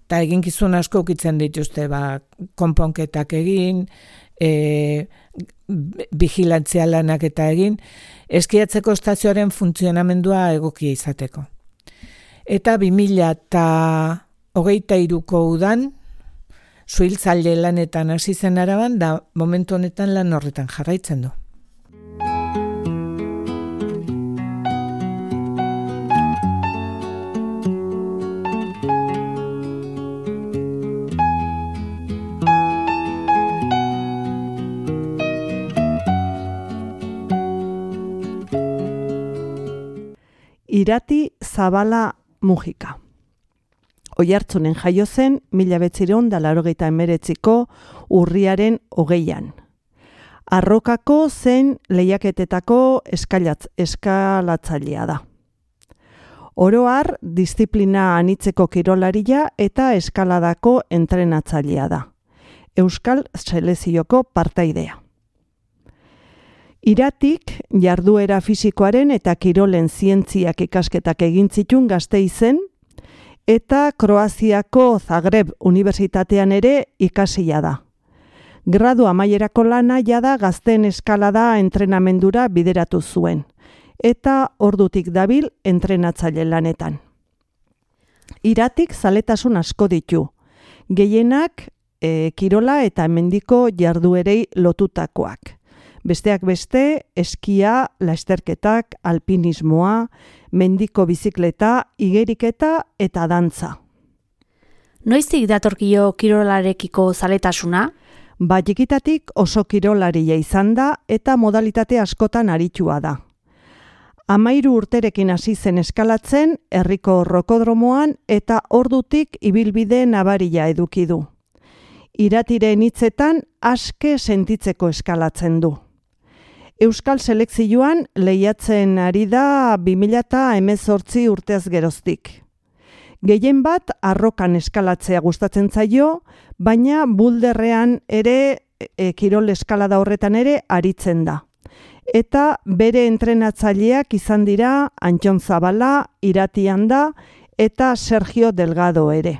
eta eginkizun asko ukitzen dituzte, ba, konponketak egin, e, vigilantzia lanak eta egin, eskiatzeko estazioaren funtzionamendua egokia izateko. Eta bi mila hogeita hiruko udan, suhiltzaile lanetan hasi zen Araban, da momentu honetan lan horretan jarraitzen du. Irati Zabala Mujika. Oiartzunen jaio zen mila bederatziehun eta laurogeita hemeretziko urriaren hogeian. Arrokako zein lehiaketetako eskalatz, eskalatzailea da. Oro har, disiplina anitzeko kirolaria eta eskaladako entrenatzailea da. Euskal Selezioko partaidea. Iratik jarduera fisikoaren eta kirolen zientziak ikasketak egin zituen Gasteizen eta Kroaziako Zagreb Unibertsitatean ere ikasia da. Gradu amaierako lana jada gazteen eskalada entrenamendura bideratu zuen, eta ordutik dabil entrenatzaile lanetan. Iratik zaletasun asko ditu, gehienak e, kirola eta mendiko jarduerei lotutakoak. Besteak beste, eskia, lasterketak, alpinismoa, mendiko bizikleta, igeriketa eta dantza. Noiztik datorkio kirolarekiko zaletasuna? Ba, txikitatik oso kirolaria izan da eta modalitate askotan aritua da. Amairu urterekin hasi zen eskalatzen herriko rokodromoan eta ordutik ibilbide nabaria eduki du. Iratiren hitzetan aske sentitzeko eskalatzen du. Euskal selekzioan lehiatzen ari da bi mila hemezortzi urteaz geroztik. Gehien bat arrokan eskalatzea gustatzen zaio, baina bulderrean ere e, kirol eskalada horretan ere aritzen da. Eta bere entrenatzaileak izan dira Antxon Zabala, Iratian da eta Sergio Delgado ere.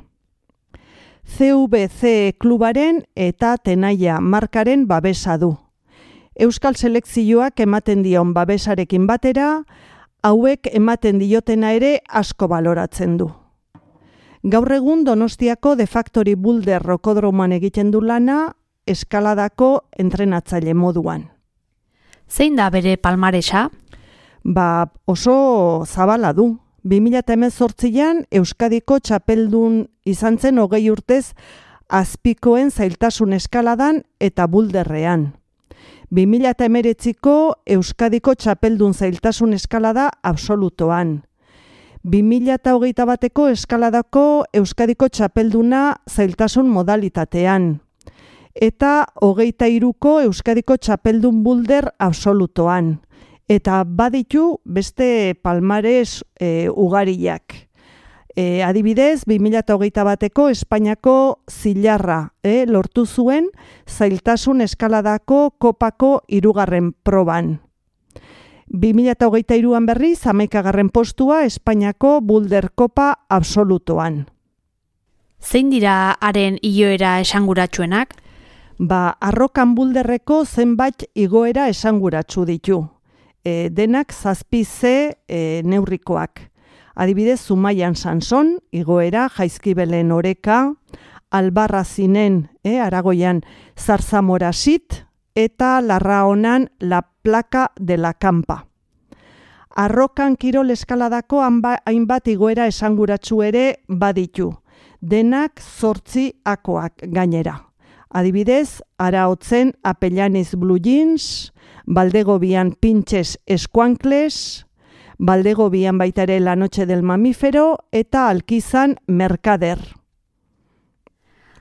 C V C klubaren eta Tenaia markaren babesa du. Euskal selekzioak ematen dion babesarekin batera, hauek ematen diotena ere asko baloratzen du. Gaur egun Donostiako De Factory Boulder rokodromoan egiten du lana eskaladako entrenatzaile moduan. Zein da bere palmaresa? Ba, oso zabala du. bi mila hemezortzian Euskadiko txapeldun izan zen hogei urtez azpikoen zailtasun eskaladan eta bulderrean. bi mila hemeretziko Euskadiko txapeldun zailtasun eskalada absolutoan. bi mila hogeita bateko eskaladako Euskadiko txapelduna zailtasun modalitatean. Eta hogeita hiruko Euskadiko txapeldun bulder absolutoan. Eta baditu beste palmares e, ugariak. E, adibidez, bi mila hogeita bateko Espainiako zilarra e, lortu zuen zailtasun eskaladako kopako hirugarren proban. bi mila hogeita hiruan berriz hamaikagarren postua Espainiako Boulder Kopa absolutoan. Zein dira haren igoera esanguratsuenak? Ba, arrokan bulderreko zenbait igoera esanguratsu ditu. E, denak zazpi ze e, neurrikoak. Adibidez, Zumaian Sanson, igoera, Jaizkibelen Oreka, Albarrazinen, e, Aragoian Zarzamorasit, eta Larraonan La Plaka de la Campa. Arrokan kirol eskaladako hainbat igoera esanguratsu ere baditu. Denak zortzi akoak gainera. Adibidez, Araotzen Apellaniz Blue Jeans, Baldegobian Pinches Eskuankles, Baldegobian baita ere La Noche del Mamífero eta Alkizan Mercader.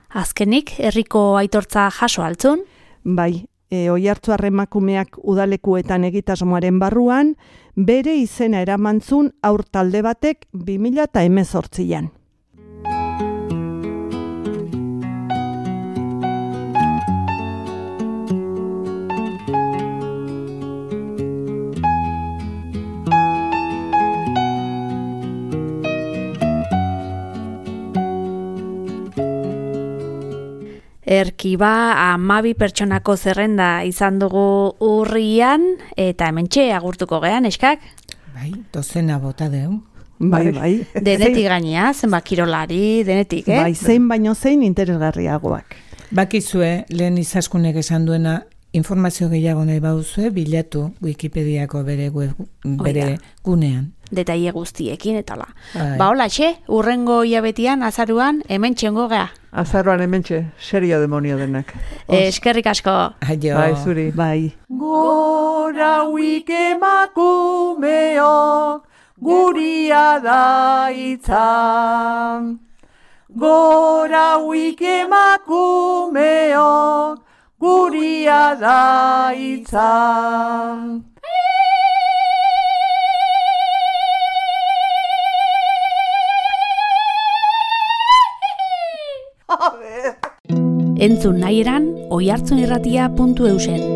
Azkenik, herriko aitortza jaso altzun? Bai, e, Oiartzuar emakumeak udalekuetan egitasmoaren barruan, bere izena eramantzun aur talde batek bi mila hemezortzian. Erkiba hamabi pertsonako zerrenda izan dugu urrian, eta hementxe agurtuko gean, eskak? Bai, dozena bota deu. Bai, bai. Denetik gainea, zenbat kirolari, denetik, eh? Bai, zein baino zein interesgarriagoak. Bakizue, lehen izaskunek esan duena, informazio gehiago nahi bauzue, bilatu Wikipediako bere, web, bere gunean. Detaile guztiekin etala. Bai. Ba, hola, txe, urrengo hilabetian, azaruan, hemen txengo gea. Azaruan hementxe, serio demonio denak. Eh, eskerrik asko. Aio. Bai, zuri. Bai. Gora huik emakumeok, guria da hitza. Gora huik emakumeok, guria da hitza. Entzun nahi eran, oihartzunirratia puntu eusen.